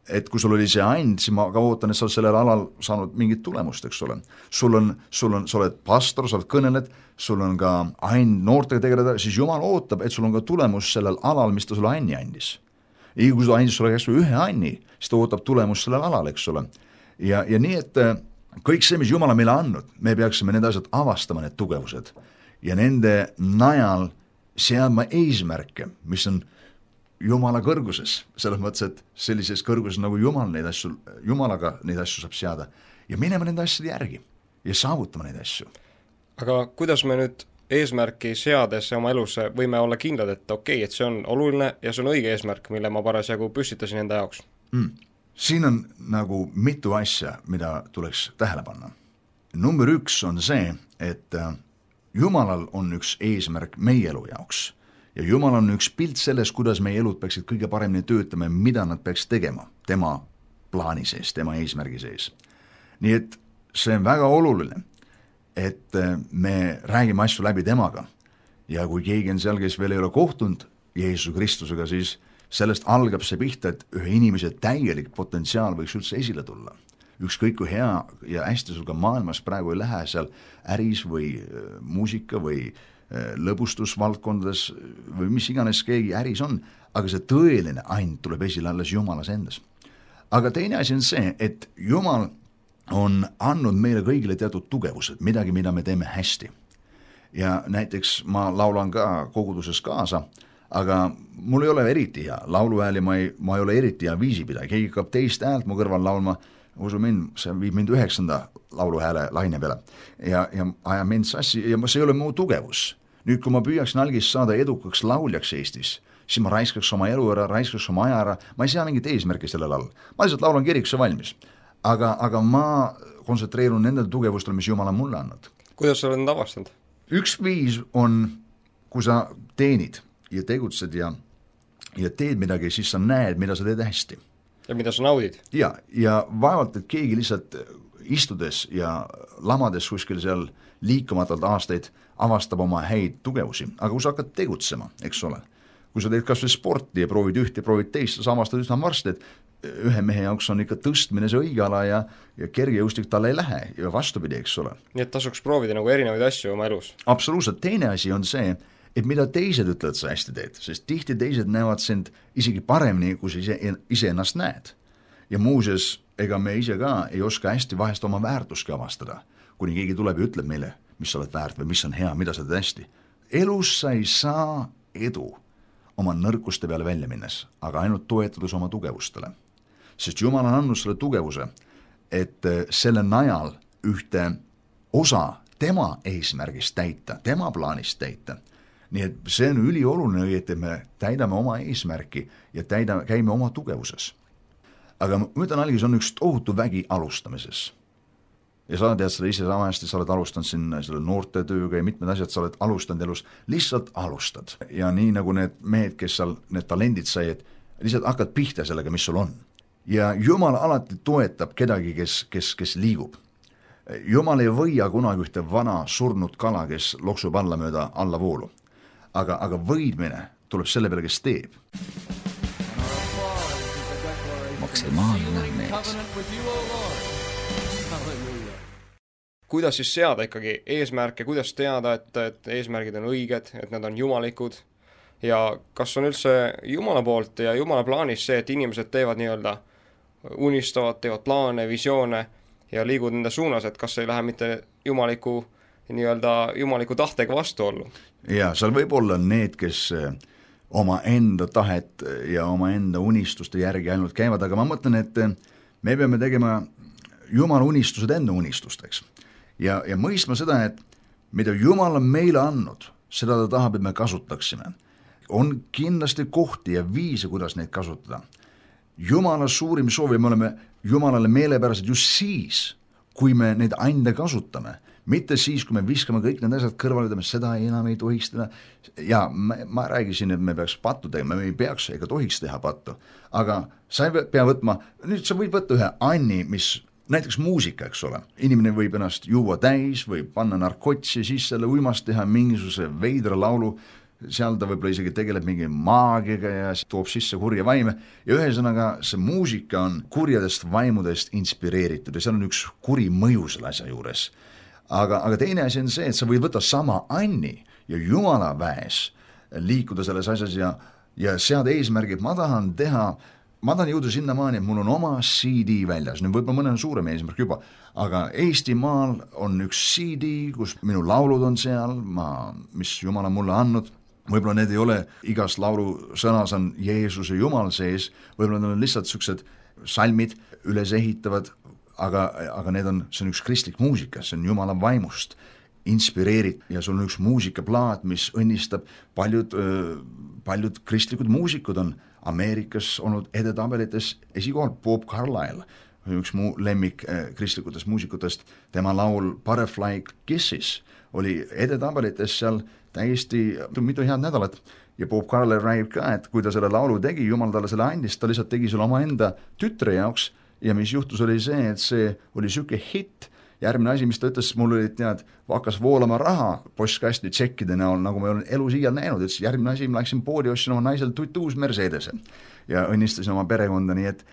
Et kui sul oli see and, siis ma ka ootan, et sa sellel alal saanud mingit tulemust, eks ole. Sa oled pastor, sa oled kõneled, sul on ka and noortega tegeleda, siis Jumal ootab, et sul on ka tulemus sellel alal, mis ta sulle anni andis. Ja kui ta andis sulle käest ühe anni, siis ta ootab tulemus sellel alal, eks ole. Ja nii, et kõik see, mis Jumal on meile andnud, me peaksime need asjad avastama, need tugevused. Ja nende najal seadma eesmärke, mis on Jumala kõrguses, selles mõttes, et sellises kõrguses nagu Jumalaga neid asju saab seada ja minema nende asjade järgi ja saavutama neid asju. Aga kuidas me nüüd eesmärki seades oma elus võime olla kindlad, et okei, et see on oluline ja see on õige eesmärk, mille ma parasjagu püstitasin enda jaoks? Siin on nagu mitu asja, mida tuleks tähele panna. Number 1 on see, et Jumalal on üks eesmärk meie elu jaoks. Ja Jumal on üks pilt selles, kuidas meie elud peaksid kõige paremini töötama ja mida nad peaks tegema tema plaani sees, tema eesmärgi sees. Nii et see on väga oluline, et me räägime asju läbi temaga ja kui keegi on seal, kes veel ei ole kohtunud Jeesuse Kristusega, siis sellest algab see pihta, et ühe inimese täielik potentsiaal võiks üldse esile tulla. Ükskõik kui hea ja hästi sul ka maailmas praegu ei lähe seal äris või muusika või lõbustusvaldkondades või mis iganes keegi äris on, aga see tõeline and tuleb esile alles Jumalas endas. Aga teine asi on see, et Jumal on andnud meile kõigile teatud tugevused, midagi, mida me teeme hästi. Ja näiteks ma laulan ka koguduses kaasa, aga mul ei ole eriti hea lauluhääli, ma ei ole eriti hea viisipidaja, keegi hakkab teist häält mu kõrval laulma, usu mind, see viib mind 9. lauluhääle laine peale ja aja mind sassi ja see ei ole mu tugevus. Nüüd, kui ma püüaksin algis saada edukaks lauljaks Eestis, siis ma raiskaks oma elu ära, raiskaks oma aja ära, ma ei sea mingit eesmärki sellel all. Ma lihtsalt laulan kirikusse valmis. Aga ma kontsentreerun nendel tugevustel, mis Jumal on mulle andnud. Kuidas sa oled need avastanud? Üks viis on, kui sa teenid ja tegutsed ja teed midagi, siis sa näed, mida sa teed hästi. Ja mida sa naudid. Ja vaevalt, et keegi lihtsalt istudes ja lamades kuskil seal liikumatult aastaid avastab oma häid tugevusi, aga kui sa hakkad tegutsema, eks ole, kui sa teed kas või sporti ja proovid üht ja proovid teist, sa avastad üsna varsti, et ühe mehe jaoks on ikka tõstmine see õige ala ja kergejõustik talle ei lähe ja vastupidi, eks ole. Nii et tasuks proovida nagu erinevaid asju oma elus. Absoluutselt, teine asi on see, et mida teised ütlevad, sa hästi teed, sest tihti teised näevad sind isegi paremini, kui sa ise ennast näed. Ja muuseas, ega me ise ka ei oska hästi vahest oma väärtuski avastada, kuni keegi tuleb ja ütleb meile, mis sa oled väärt või mis on hea, mida sa teed hästi. Elus sa ei saa edu oma nõrkuste peale välja minnes, aga ainult toetades oma tugevustele. Sest Jumal on andnud selle tugevuse, et selle najal ühte osa tema eesmärgist täita, tema plaanist täita. Nii et see on ülioluline, et me täidame oma eesmärki ja käime oma tugevuses. Aga ma ütlen algis, on üks tohutu vägi alustamises. Ja sa tead seda ise sama hästi, sa oled alustanud siin selle noorte tööga ja mitmed asjad, sa oled alustanud elus, lihtsalt alustad. Ja nii nagu need mehed, kes seal need talendid sai, et lihtsalt hakkad pihta sellega, mis sul on. Ja Jumal alati toetab kedagi, kes liigub. Jumal ei võia kunagi ühte vana surnud kala, kes loksub alla mööda alla voolu. Aga võidmine tuleb selle peale, kes teeb. Maksimaalne mees. Kuidas siis seada ikkagi eesmärke, kuidas teada, et eesmärgid on õiged, et nad on jumalikud ja kas on üldse Jumala poolt ja Jumala plaanis see, et inimesed teevad nii-öelda unistavad, teevad plaane, visioone ja liigud nende suunas, et kas ei lähe mitte jumaliku tahtega vastuollu? Ja seal võib olla need, kes oma enda tahet ja oma enda unistuste järgi ainult käivad, aga ma mõtlen, et me peame tegema Jumala unistused enda unistusteks. Ja mõistma seda, et mida Jumal on meile andnud, seda ta tahab, et me kasutaksime. On kindlasti kohti ja viise, kuidas neid kasutada. Jumala suurim soovi, me oleme Jumalale meelepärased just siis, kui me neid ande kasutame. Mitte siis, kui me viskame kõik need asjad kõrvale, ütleme, seda enam ei tohiks teha. Ja ma räägisin, et me peaks pattu tegema, me ei peaks ega tohiks teha pattu. Aga sa ei pea võtma, nüüd sa võid võtta ühe anni, mis näiteks muusika, eks ole. Inimene võib ennast juua täis või panna narkotsi, siis selle uimast teha mingisuguse veidra laulu, seal ta võib-olla isegi tegeleb mingi maagiga ja toob sisse kurja vaime. Ja ühesõnaga see muusika on kurjadest vaimudest inspireeritud ja seal on üks kuri mõju selle asja juures. Aga teine asi on see, et sa võid võtta sama anni ja Jumala väes liikuda selles asjas ja seada eesmärgid, ma tahan jõuda sinnamaani, et mul on oma CD väljas, nüüd võib-olla mõne on suurem eesmärk juba, aga Eestimaal on üks CD, kus minu laulud on seal, mis Jumal on mulle andnud, võib-olla need ei ole, igas laulu sõnas on Jeesuse Jumal sees, võib-olla need on lihtsalt sellised salmid üles ehitavad, aga see on üks kristlik muusika, see on Jumala vaimust inspireerid ja sul on üks muusikaplaat, mis õnnistab paljud kristlikud muusikud on Ameerikas olnud edetabelites esikohal. Bob Carlyle, üks mu lemmik kristlikutest muusikutest, tema laul Butterfly Kisses oli edetabelites seal täiesti mitu head nädalat ja Bob Carlyle räägib ka, et kui ta selle laulu tegi, Jumal talle selle andis, ta lihtsalt tegi selle oma enda tütre jaoks ja mis juhtus oli see, et see oli süke hitt. Järgmine asi, mis ta ütles, mul oli hakkas voolama raha postkasti tšekkide näol, nagu ma olen elu siial näinud, et järgmine asi, ma läksin poodi, ostsin oma naisel uus Mercedese ja õnnistasin oma perekonda, nii et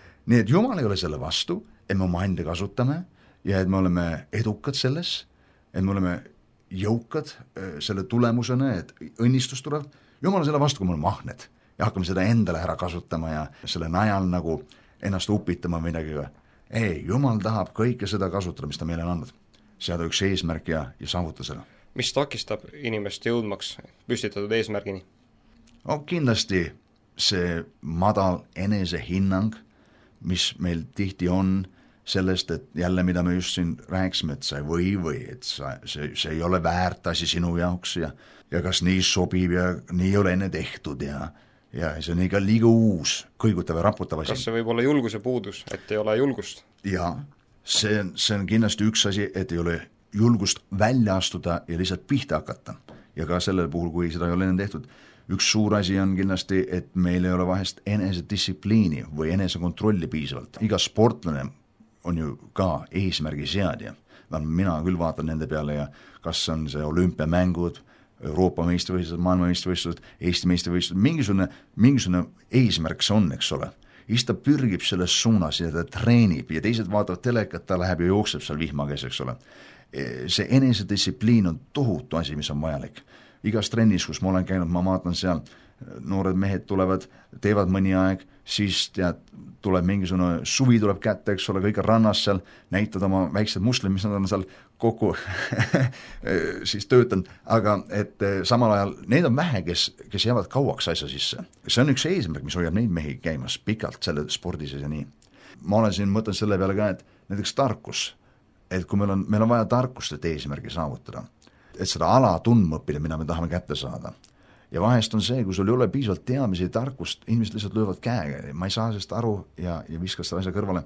Jumal ei ole selle vastu, et me oma enda kasutame ja et me oleme edukad selles, et me oleme jõukad selle tulemusena, et õnnistus tuleb. Jumal on selle vastu, kui me oleme ahned ja hakkame seda endale ära kasutama ja selle najal nagu ennast upitama midagi. Ei, Jumal tahab kõike seda kasutada, mis ta meile on andnud. Seada üks eesmärk ja saavuta seda. Mis takistab inimest jõudmaks püstitatud eesmärgini? Kindlasti see madal enesehinnang, mis meil tihti on sellest, et jälle, mida me just siin rääksime, et sa ei või et see ei ole väärt asi sinu jaoks ja kas nii sobib ja nii ei ole enne tehtud ja see on ikka liiga uus, kõigutav ja raputav asi. Kas see võib olla julguse puudus, et ei ole julgust? Jaa, see on kindlasti üks asi, et ei ole julgust välja astuda ja lihtsalt pihta hakata. Ja ka sellel puhul, kui seda ei ole enne tehtud. Üks suur asi on kindlasti, et meil ei ole vahest enesedistsipliini või enesekontrolli piisavalt. Iga sportlane on ju ka eesmärgi seadja. Mina küll vaatan nende peale ja kas on see olümpiamängud, Euroopa meistrivõistlused, maailma meistrivõistlused, Eesti meistrivõistlused, mingisugune eesmärk see on, eks ole. Siis ta pürgib selles suunas ja ta treenib ja teised vaatavad telekat, ta läheb ja jookseb seal vihma käes, eks ole. See enesedistsipliin on tohutu asi, mis on vajalik. Igas trennis, kus ma olen käinud, ma vaatan seal, noored mehed tulevad, teevad mõni aeg, siis tuleb mingisugune suvi tuleb kätte, eks ole, kõik rannas seal, näitad oma väiksed muslid, mis nad on seal kokku siis töötanud, aga et samal ajal need on vähe, kes jäävad kauaks asja sisse. See on üks eesmärk, mis hoiab neid mehi käimas pikalt selle spordis ja nii. Ma olen siin mõtlen selle peale ka, et näiteks tarkus, et kui meil on vaja tarkust, et eesmärgi saavutada, et seda ala tundma õppida, mida me tahame kätte saada. Ja vahest on see, kui sul ei ole piisavalt teadmisi ja tarkust, inimesed lihtsalt löövad käega, ma ei saa sellest aru ja viskas seda asja kõrvale.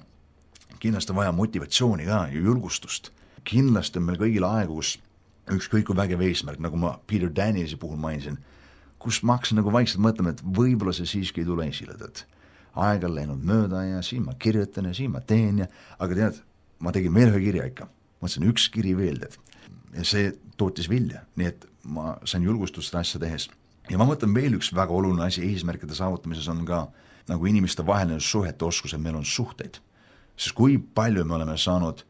Kindlasti on vaja motivatsiooni ka ja julgustust. Kindlasti on meil kõigil aegu, kus ükskõik kui vägev eesmärk, nagu ma Peter Danielsi puhul mainisin, kus ma hakkasin nagu vaikselt mõtlema, et võib-olla see siiski ei tule esile, et aeg on läinud mööda ja siin ma kirjutan ja siin ma teen aga tead, ma tegin veel ühe kirja ikka. Mõtlesin üks kiri veel, ja see tootis vilja, nii et ma sain julgustust seda asja tehes. Ja ma mõtlen veel üks väga oluline asi eesmärkide saavutamises on ka nagu inimeste vaheline suhete oskus, et meil on suhteid. Sest kui palju me oleme saanud,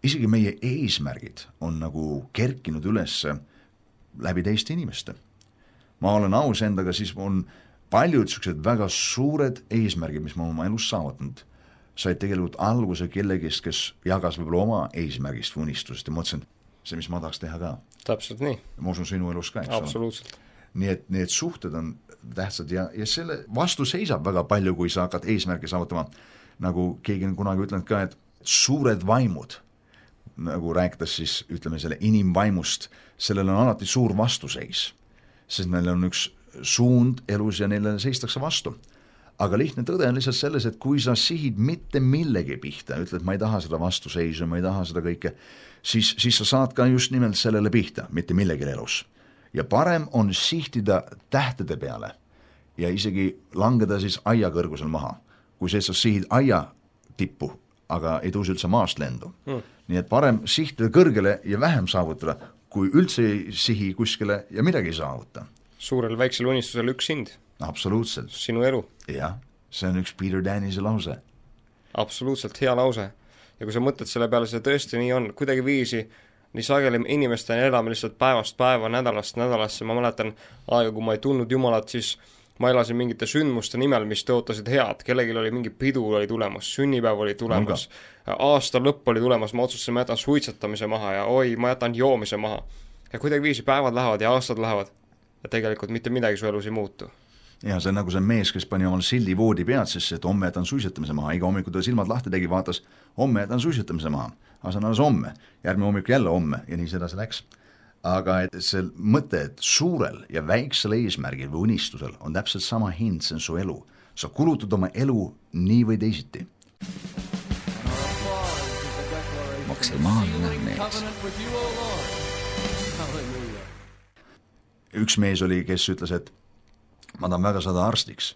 isegi meie eesmärgid on nagu kerkinud üles läbi teiste inimeste. Ma olen aus endaga, siis on paljud sellised väga suured eesmärgid, mis ma oma elus saavutanud, said tegelikult alguse kellegist, kes jagas võib-olla oma eesmärgist või unistusest ja mõtlesin, see, mis ma tahaks teha ka. Täpselt nii. Ma usun sinu elus ka, eks ole. Absoluutselt. Nii et need suhted on tähtsad ja selle vastu seisab väga palju, kui sa hakkad eesmärki saavutama. Nagu keegi on kunagi ütlenud ka, et suured vaimud, nagu rääkides siis, ütleme selle inimvaimust, sellel on alati suur vastuseis, sest neil on üks suund elus ja neile seistakse vastu. Aga lihtne tõde on lihtsalt selles, et kui sa sihid mitte millegi pihta, ütled, ma ei taha seda vastuseisu, ma ei taha seda kõike, siis sa saad ka just nimelt sellele pihta, mitte millegi elus. Ja parem on sihtida tähtede peale ja isegi langeda siis aia kõrgusel maha, kui sa sihid aia tippu, aga ei tõuse üldse maast lendu. Nii et parem sihtida kõrgele ja vähem saavutada, kui üldse ei sihi kuskile ja midagi ei saavuta. Suurel väiksel unistusel üks sind. Absoluutselt. Sinu elu. Jah, see on üks Peter Danielsi lause. Absoluutselt hea lause. Ja kui sa mõtled selle peale, see tõesti nii on, kuidagi viisi nii sageli inimestena elame lihtsalt päevast päeva, nädalast nädalasse, ma mäletan aega, kui ma ei tundnud Jumalat, siis ma elasin mingite sündmuste nimel, mis tõotasid head, kellegil oli mingi pidu oli tulemas, sünnipäev oli tulemas, aasta lõpp oli tulemas, ma otsustasin, ma jätan suitsetamise maha ja ma jätan joomise maha. Ja kuidagi viisi päevad lähevad ja aastad lähevad ja tegelikult mitte midagi su elus ei muutu. Ja see on nagu see mees, kes pani omal sildi voodi pead, sest et homme jätan suitsetamise maha, iga hommiku ta silmad lahti tegi, vaatas, homme jätan suitsetamise maha, aga see on alles homme, järgmine hommik jälle homme ja nii seda see läks. Aga et see mõte, et suurel ja väiksel eesmärgil või unistusel on täpselt sama hind, see on su elu. Sa kulutad oma elu nii või teisiti. Maksimaalne mees. Üks mees oli, kes ütles, et ma tahan väga saada arstiks,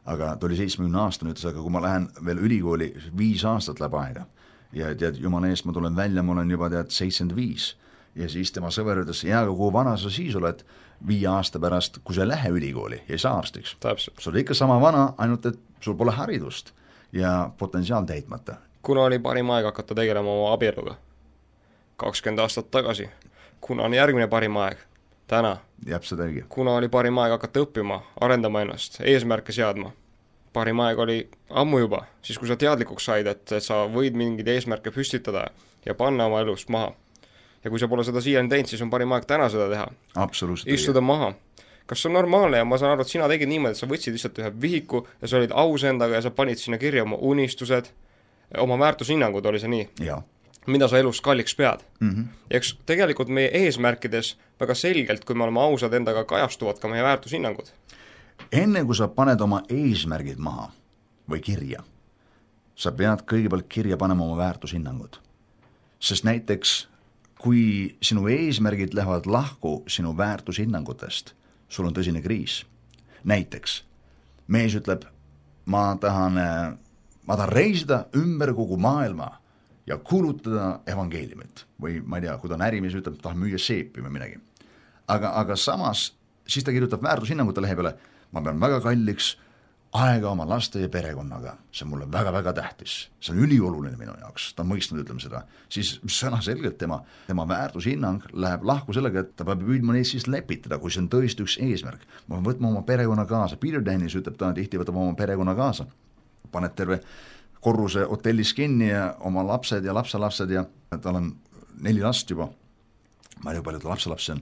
aga ta oli 70 aastane, ütles, aga kui ma lähen veel ülikooli 5 aastat läheb aega ja tead, jumala eest ma tulen välja, ma olen juba 75 ja siis tema sõver ütles, aga kui vana sa siis oled 5 aasta pärast, kui sa lähe ülikooli ja ei saa arstiks. Sa oled ikka sama vana, ainult et sul pole haridust ja potentsiaal täitmata. Kuna oli parim aeg hakata tegelema oma abieluga? 20 aastat tagasi. Kuna on järgmine parim aeg? Täna. Kuna oli parim aeg hakata õppima, arendama ennast, eesmärke seadma. Parim aeg oli ammu juba, siis kui sa teadlikuks said, et sa võid mingid eesmärke püstitada ja panna oma elust maha. Ja kui sa pole seda siiani teinud, siis on parim aeg täna seda teha. Absoluutselt. Istuda maha. Kas see on normaalne ja ma saan aru, et sina tegid niimoodi, et sa võtsid lihtsalt ühe vihiku ja sa olid aus endaga ja sa panid sinna kirja oma unistused, oma väärtushinnangud, oli see nii? Jaa. Mida sa elus kalliks pead. Ja eks tegelikult meie eesmärkides väga selgelt, kui me oleme ausad endaga, kajastuvad ka meie väärtushinnangud. Enne kui sa paned oma eesmärgid maha või kirja, sa pead kõigepealt kirja panema oma väärtushinnangud. Sest näiteks, kui sinu eesmärgid lähevad lahku sinu väärtushinnangutest, sul on tõsine kriis. Näiteks, mees ütleb, ma tahan reisida ümber kogu maailma ja kuulutada evangeeliumit või ma ei tea, kui ta on ärimees, ütleb, tahab müüa seepi või midagi. Aga samas, siis ta kirjutab väärtushinnangute lehe peale, ma pean väga kalliks aega oma laste ja perekonnaga, see on mulle väga-väga tähtis, see on ülioluline minu jaoks, ta on mõistnud, ütleme seda, siis sõnaselgelt tema väärtushinnang läheb lahku sellega, et ta peab püüdma neid siis lepitada, kui see on tõesti üks eesmärk. Ma pean võtma oma perekonna kaasa, Peter Dennis ütleb, ta tihti võtab oma perekonna kaasa, paneb terve korruse hotellis kinni ja oma lapsed ja lapselapsed ja tal on 4 last juba, ma ei tea, palju ta lapselapsi on,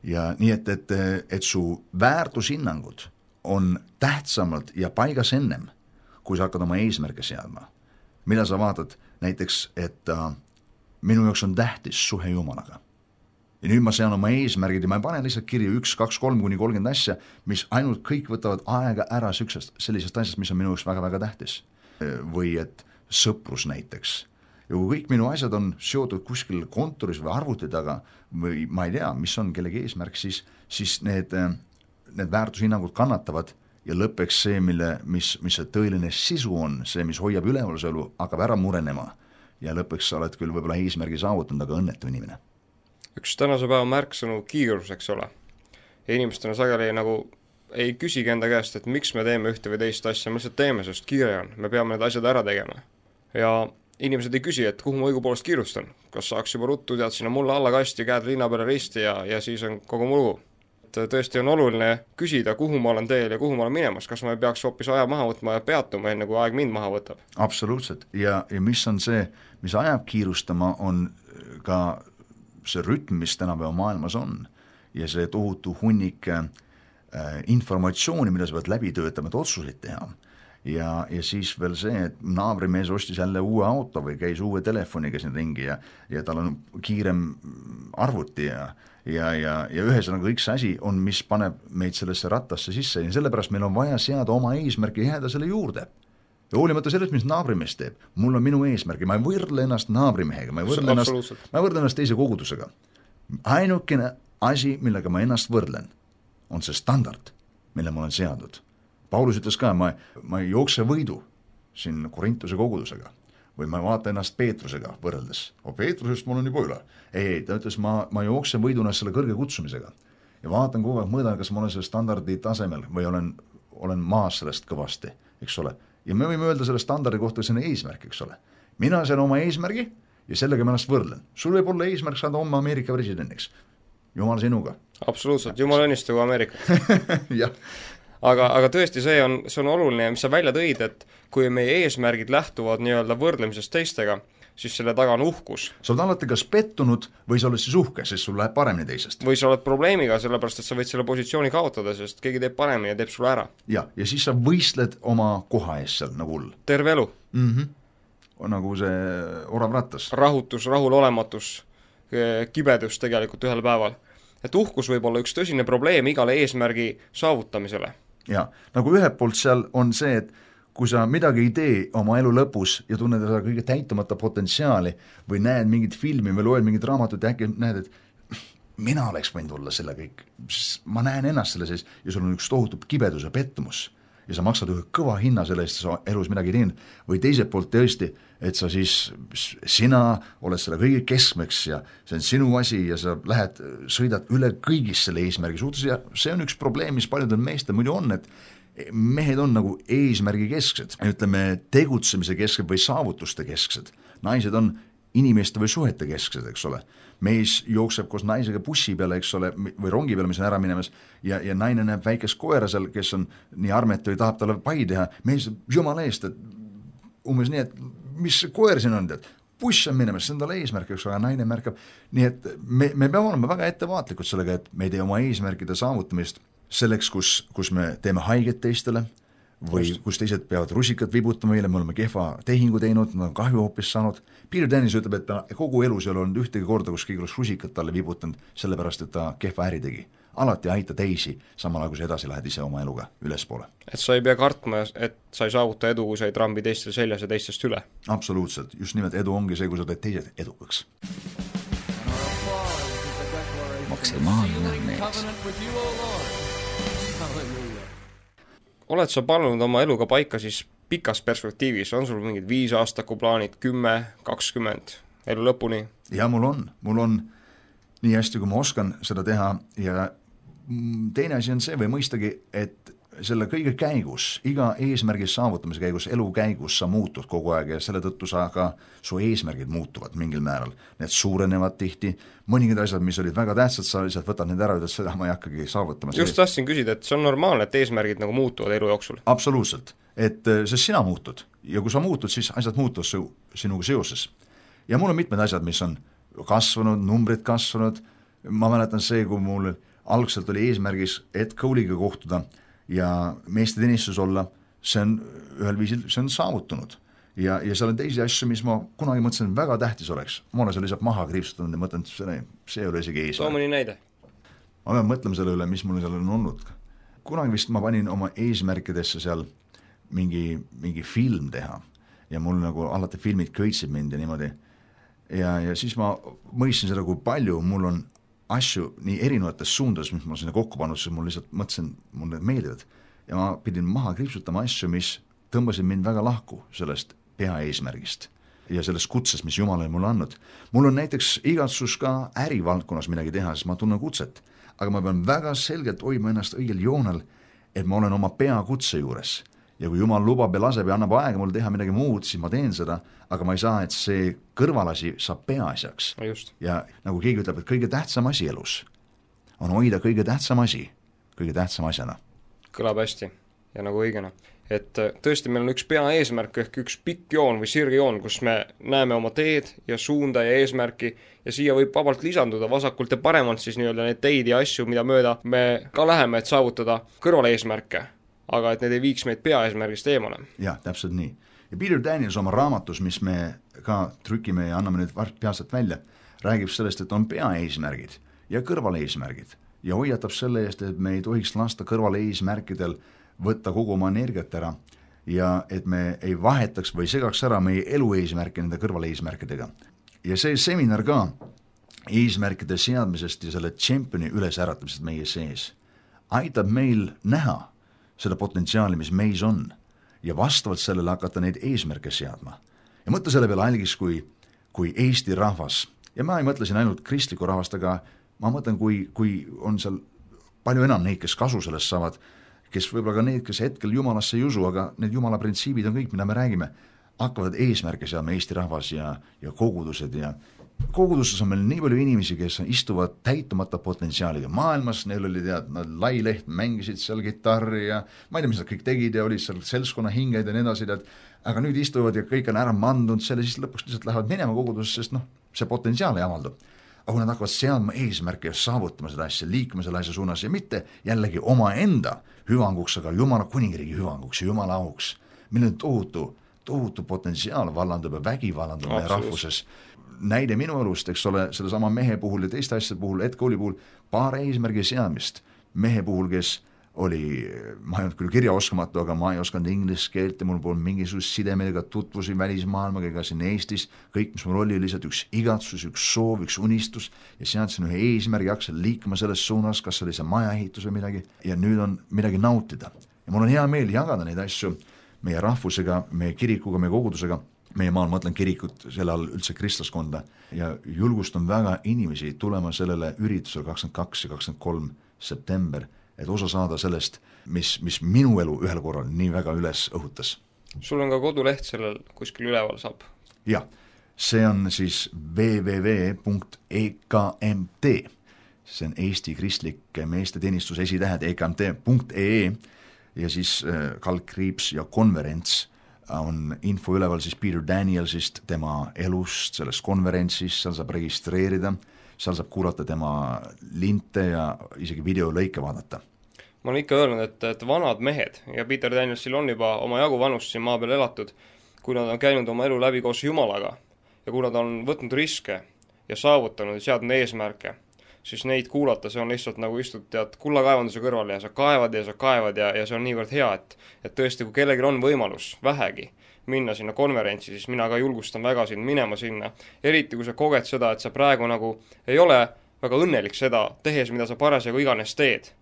ja nii et su väärtushinnangud on tähtsamalt ja paigas ennem, kui sa hakkad oma eesmärke seadma. Mida sa vaatad näiteks, et minu jaoks on tähtis suhe Jumalaga. Ja nüüd ma sean oma eesmärgid ja ma ei pane lihtsalt kirja 1, 2, 3 kuni 30 asja, mis ainult kõik võtavad aega ära sellisest asjast, mis on minu jaoks väga-väga tähtis. Või et sõprus näiteks. Ja kui kõik minu asjad on seotud kuskil kontoris või arvuti taga või ma ei tea, mis on kellegi eesmärk, siis need väärtushinnangud kannatavad ja lõppeks see, mis see tõeline sisu on, see, mis hoiab ülevaluselu, hakkab ära murenema ja lõppeks sa oled küll võib-olla eesmärgi saavutanud, aga õnnetu inimene. Üks tänase päeva märksõnu kiirus, eks ole. Ja inimestena sageli nagu ei küsigi enda käest, et miks me teeme ühte või teist asja, me lihtsalt teeme, sest kiire on, me peame need asjad ära tegema. Ja inimesed ei küsi, et kuhu ma õigupoolest kiirustan, kas saaks juba ruttu, tead sinna mulle alla kasti, käed linna peale risti ja siis on kogu mulu. Tõesti on oluline küsida, kuhu ma olen teel ja kuhu ma olen minemas, kas ma ei peaks hoopis aja maha võtma ja peatuma, enne kui aeg mind maha võtab. Absoluutselt, ja mis on see, mis ajab kiirustama, on ka see rütm, mis tänapäeva maailmas on ja see tohutu hunnik informatsiooni, mida sa pead läbi töötama, et otsuseid teha. Ja siis veel see, et naabrimees ostis jälle uue auto või käis uue telefoniga siin ringi ja tal on kiirem arvuti ja ühesõnaga kõik see asi on, mis paneb meid sellesse rattasse sisse ja sellepärast meil on vaja seada oma eesmärki ja jääda selle juurde. Ja hoolimata sellest, mis naabrimees teeb, mul on minu eesmärgi, ma ei võrdle ennast naabrimehega, ma ei võrdle ennast teise kogudusega. Ainukene asi, millega ma ennast võrdlen, on see standard, mille ma olen seadnud. Paulus ütles ka, ma ei jookse võidu siin Korintuse kogudusega või ma vaata ennast Peetrusega võrreldes. Peetrusest mul on juba üle. Ei, ta ütles, ma jookse võiduna selle kõrge kutsumisega ja vaatan kogu aeg, mõõdan, kas ma olen selle standardi tasemel või olen maas sellest kõvasti, eks ole. Ja me võime öelda selle standardi kohta, see on eesmärk, eks ole. Mina sean oma eesmärgi ja sellega ma ennast võrdlen. Sul võib olla eesmärk saada oma Ameerika presidendiks. Jumal sinuga. Absoluutselt, Jumal õnnistagu Ameerikat. Jah. Aga tõesti, see on oluline, mis sa välja tõid, et kui meie eesmärgid lähtuvad nii-öelda võrdlemisest teistega, siis selle taga on uhkus. Sa oled alati kas pettunud või sa oled siis uhke, sest sul läheb paremini teisest. Või sa oled probleemiga, sellepärast et sa võid selle positsiooni kaotada, sest keegi teeb paremini ja teeb sulle ära. Ja siis sa võistled oma koha ees seal nagu hull. Terve elu. Nagu see orav rattas. Rahutus, rahulolematus, kibedus tegelikult ühel päeval. Et uhkus võib olla üks tõsine probleem igale eesmärgi saavutamisele. Ja, nagu ühelt poolt seal on see, et kui sa midagi ei tee oma elu lõpus ja tunned seda kõige täitumata potentsiaali või näed mingit filmi või loed mingit raamatut ja äkki näed, et mina oleks võinud olla selle kõik, ma näen ennast selle sees ja sul on üks tohutud kibedus ja pettumus ja sa maksad ühe kõva hinna selle eest, sa elus midagi teinud või teiselt poolt tõesti, et sa siis, sina oled selle kõige keskmeks ja see on sinu asi ja sa sõidad üle kõigist selle eesmärgi suhtes ja see on üks probleem, mis paljudel meestel muidu on, et mehed on nagu eesmärgi kesksed, ütleme tegutsemise kesksed või saavutuste kesksed, naised on inimeste või suhete kesksed, eks ole. Mees jookseb koos naisega bussi peale, eks ole, või rongi peale, mis on ära minemas, ja naine näeb väikest koera seal, kes on nii armetu ja tahab talle pai teha. Mees jumala eest, et umbes nii, et mis koer siin on, et buss on minemas, see on talle eesmärk, eks ole, naine märkab. Nii et me peame olema väga ettevaatlikud sellega, et me ei tee oma eesmärkide saavutamist selleks, kus me teeme haiget teistele, või kus teised peavad rusikat vibutama meile, me oleme kehva tehingu teinud, nad on kahju hoopis saanud. Peter Dennis ütleb, et ta kogu elus ei ole olnud ühtegi korda, kus keegi oleks rusikat talle vibutanud, sellepärast, et ta kehva äri tegi. Alati aita teisi, samal ajal kui sa edasi lähed ise oma eluga ülespoole. Et sa ei pea kartma, et sa ei saavuta edu, kui sa ei trambi teistel seljas ja teistest üle. Absoluutselt, just nimelt edu ongi see, kui sa teed teised edukaks. Maksimaalne mees. Oled sa pannud oma eluga paika siis pikas perspektiivis, on sul mingid 5 aastaku plaanid, 10, 20, elu lõpuni? Ja mul on nii hästi, kui ma oskan seda teha ja teine asi on see või mõistagi, et selle kõige käigus, iga eesmärgi saavutamise käigus, elu käigus sa muutud kogu aeg ja selle tõttu su eesmärgid muutuvad mingil määral. Need suurenevad tihti, mõningad asjad, mis olid väga tähtsad, sa lihtsalt võtad need ära ja seda ma ei hakkagi saavutama. Just tahtsin küsida, et see on normaalne, et eesmärgid nagu muutuvad elu jooksul? Absoluutselt, et sest sina muutud ja kui sa muutud, siis asjad muutuvad sinuga seoses. Ja mul on mitmed asjad, mis on kasvanud, numbrid kasvanud, ma mäletan see, kui mul algselt oli eesmärgis Ed Cole'iga kohtuda ja meeste teenistus olla, see on ühel viisil, see on saavutunud. Ja seal on teisi asju, mis ma kunagi mõtlesin väga tähtis oleks. Ma olen seal lihtsalt maha kriipsutanud ja mõtlen, see ei ole isegi eesmärk. Too mõni näide. Ma pean mõtlema selle üle, mis mul seal on olnud. Kunagi vist ma panin oma eesmärkidesse seal mingi film teha ja mul nagu alati filmid köitsid mind ja niimoodi. Ja siis ma mõistsin seda, kui palju mul on asju nii erinevates suundades, mis ma sinna kokku pannud, siis mul lihtsalt mõtlesin, mul need meeldivad. Ja ma pidin maha kriipsutama asju, mis tõmbasid mind väga lahku sellest peaeesmärgist ja sellest kutsest, mis Jumal on mulle andnud. Mul on näiteks igatsus ka ärivaldkonnas midagi teha, sest ma tunnen kutset, aga ma pean väga selgelt hoidma ennast õigel joonel, et ma olen oma peakutse juures. Ja kui Jumal lubab ja laseb ja annab aega mul teha midagi muud, siis ma teen seda, aga ma ei saa, et see kõrvalasi saab peaasjaks. Ja nagu keegi ütleb, et kõige tähtsam asi elus on hoida kõige tähtsam asi, kõige tähtsam asjana. Kõlab hästi ja nagu õigena. Et tõesti meil on üks peaeesmärk ehk üks pikk joon või sirgjoon, kus me näeme oma teed ja suunda ja eesmärki ja siia võib vabalt lisanduda vasakult ja paremalt siis nii-öelda neid teid ja asju, mida mööda me ka läheme, et saavutada kõrval eesmärke, aga et need ei viiks meid peaeesmärgist eemale. Jah, täpselt nii. Ja Peter Daniels oma raamatus, mis me ka trükime ja anname nüüd peatselt välja, räägib sellest, et on peaeesmärgid ja kõrvaleesmärgid ja hoiatab selle eest, et me ei tohiks lasta kõrvaleesmärkidel võtta kogu oma energiat ära ja et me ei vahetaks või segaks ära meie elu eesmärke nende kõrvaleesmärkidega. Ja see seminar ka eesmärkide seadmisest ja selle tšempioni ülesäratamisest meie sees aitab meil näha seda potentsiaali, mis meis on ja vastavalt sellele hakata neid eesmärke seadma. Ja mõtle selle peale algis kui Eesti rahvas ja ma ei mõtle siin ainult kristliku rahvast, aga ma mõtlen, kui on seal palju enam neid, kes kasu sellest saavad, kes võib-olla ka need, kes hetkel Jumalasse ei usu, aga need Jumala printsiibid on kõik, mida me räägime, hakkavad eesmärke seadma Eesti rahvas ja kogudused ja koguduses on meil nii palju inimesi, kes istuvad täitumata potentsiaaliga maailmas, neil oli lai leht, mängisid seal gitarri ja ma ei tea, mis nad kõik tegid ja olid seal selskonna hinged ja nii edasi, aga nüüd istuvad ja kõik on ära mandunud selle, siis lõpuks lihtsalt lähevad minema kogudusest, sest see potentsiaal ei avaldu. Aga kui nad hakkavad seadma eesmärke ja saavutama seda asja, liikuma selle asja suunas ja mitte jällegi oma enda hüvanguks, aga Jumala kuningriigi hüvanguks ja Jumala auks, milline tohutu potentsiaal vallandub ja vägi vallandub meie rahvuses. Näide minu elust, eks ole, selle sama mehe puhul ja teiste asjade puhul, Ed Cole'i puhul, paar eesmärgi seadmist. Mehe puhul, kes oli, ma ei olnud küll kirjaoskamatu, aga ma ei osanud inglise keelt ja mul polnud mingisugust sidemega tutvusi välismaailmaga ega siin Eestis. Kõik, mis mul oli lihtsalt üks igatsus, üks soov, üks unistus ja seadsin ühe eesmärgi, hakkasin liikuma selles suunas, kas oli see majaehitus või midagi ja nüüd on midagi nautida. Ja mul on hea meel jagada neid asju meie rahvusega, meie kirikuga, meie kogudusega. Meie maal, ma mõtlen kirikut, selle all üldse kristlaskonda ja julgustan väga inimesi tulema sellele üritusele 22 ja 23 september, et osa saada sellest, mis minu elu ühel korral nii väga üles õhutas. Sul on ka koduleht sellel kuskil üleval saab? Jah, see on siis www.ekmt, see on Eesti Kristlik Meeste Teenistus esitähed ekmt.ee ja siis kaldkriips ja konverents on info üleval siis Peter Danielsist, tema elust, sellest konverentsist, seal saab registreerida, seal saab kuulata tema linte ja isegi videolõike vaadata. Ma olen ikka öelnud, et vanad mehed ja Peter Danielsil on juba oma jagu vanust siin maa peal elatud, kui nad on käinud oma elu läbi koos Jumalaga ja kui nad on võtnud riske ja saavutanud ja seadnud eesmärke, siis neid kuulata, see on lihtsalt nagu istud kullakaevanduse kõrval ja sa kaevad ja see on niivõrd hea, et tõesti, kui kellelgi on võimalus vähegi minna sinna konverentsi, siis mina ka julgustan väga sind minema sinna, eriti kui sa koged seda, et sa praegu nagu ei ole väga õnnelik seda tehes, mida sa parasjagu iganes teed.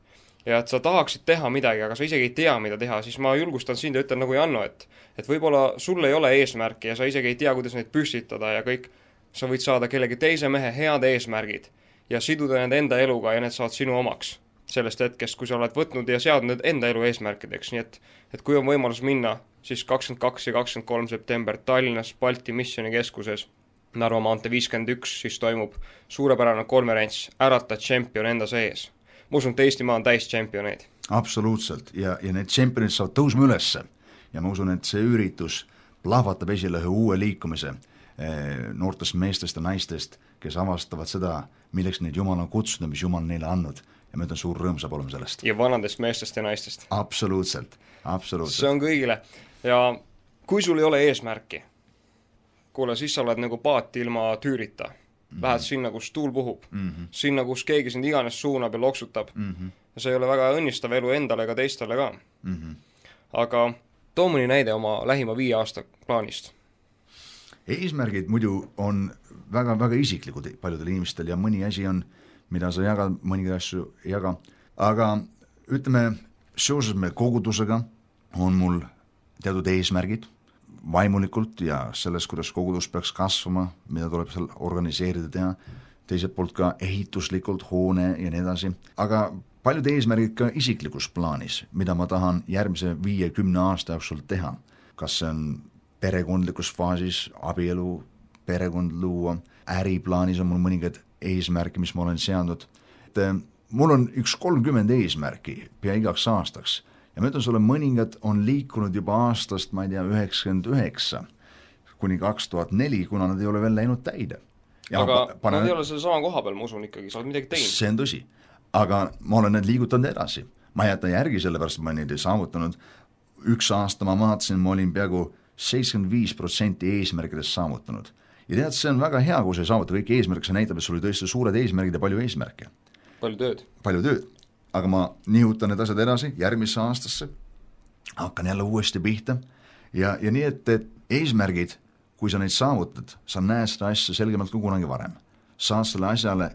ja et sa tahaksid teha midagi, aga sa isegi ei tea, mida teha, siis ma julgustan sind ja ütlen nagu Janno, et võib-olla sul ei ole eesmärki ja sa isegi ei tea, kuidas neid püstitada ja kõik, sa võid saada kellegi teise mehe head eesmärgid ja siduda need enda eluga ja need saad sinu omaks sellest hetkest, kui sa oled võtnud ja seadnud need enda elu eesmärkideks, nii et kui on võimalus minna, siis 22 ja 23 september Tallinnas Balti Missioonikeskuses Narva maantee 51, siis toimub suurepärane konverents Ärata tšempion enda sees. Ma usun, et Eestimaa on täis tšempioneid. Absoluutselt, ja need tšempionid saavad tõusma ülesse ja ma usun, et see üritus plahvatab esile ühe uue liikumise noortest meestest ja naistest, kes avastavad seda, milleks neid Jumal on kutsunud, mis Jumal neile andnud ja ma ütlen, suur rõõm saab olema sellest. Ja vanadest meestest ja naistest. Absoluutselt. See on kõigile ja kui sul ei ole eesmärki, kuule, siis sa oled nagu paat ilma tüürita. Lähed sinna, kus tuul puhub, sinna, kus keegi sind iganes suunab ja loksutab. Ja see ei ole väga õnnistav elu endale ega teistele ka. Aga too mõni näide oma lähima 5 aasta plaanist. Eesmärgid muidu on väga, väga isiklikud paljudel inimestel ja mõni asi on, mida sa jagad, mõningaid asju ei jaga. Aga ütleme, seoses me kogudusega on mul teatud eesmärgid vaimulikult ja selles, kuidas kogudus peaks kasvama, mida tuleb seal organiseerida teha, teiselt poolt ka ehituslikult, hoone ja nii edasi, aga paljud eesmärgid ka isiklikus plaanis, mida ma tahan järgmise 5-10 aasta jooksul teha. Kas see on perekondlikus faasis, abielu, perekond luua, äriplaanis on mul mõningad eesmärki, mis ma olen seadnud. Mul on 30 eesmärki pea igaks aastaks ja ma ütlen sulle, mõningad on liikunud juba aastast, ma ei tea, 99 kuni 2004, kuna nad ei ole veel läinud täide. Aga nad ei ole selle sama koha peal, ma usun ikkagi, sa oled midagi teinud. See on tõsi, aga ma olen need liigutanud edasi. Ma ei jäta järgi, sellepärast ma neid ei saavutanud. 1 aasta ma vaatasin, ma olin peaaegu 75% eesmärkidest saavutanud. Ja tead, see on väga hea, kui sa ei saavuta kõik eesmärk, see näitab, et sul oli tõesti suured eesmärgid ja palju eesmärke. Palju tööd. Aga ma nihutan need asjad edasi järgmisse aastasse, hakkan jälle uuesti pihta ja nii, et eesmärgid, kui sa neid saavutad, sa näed seda asja selgemalt kui kunagi varem. Saad selle asjale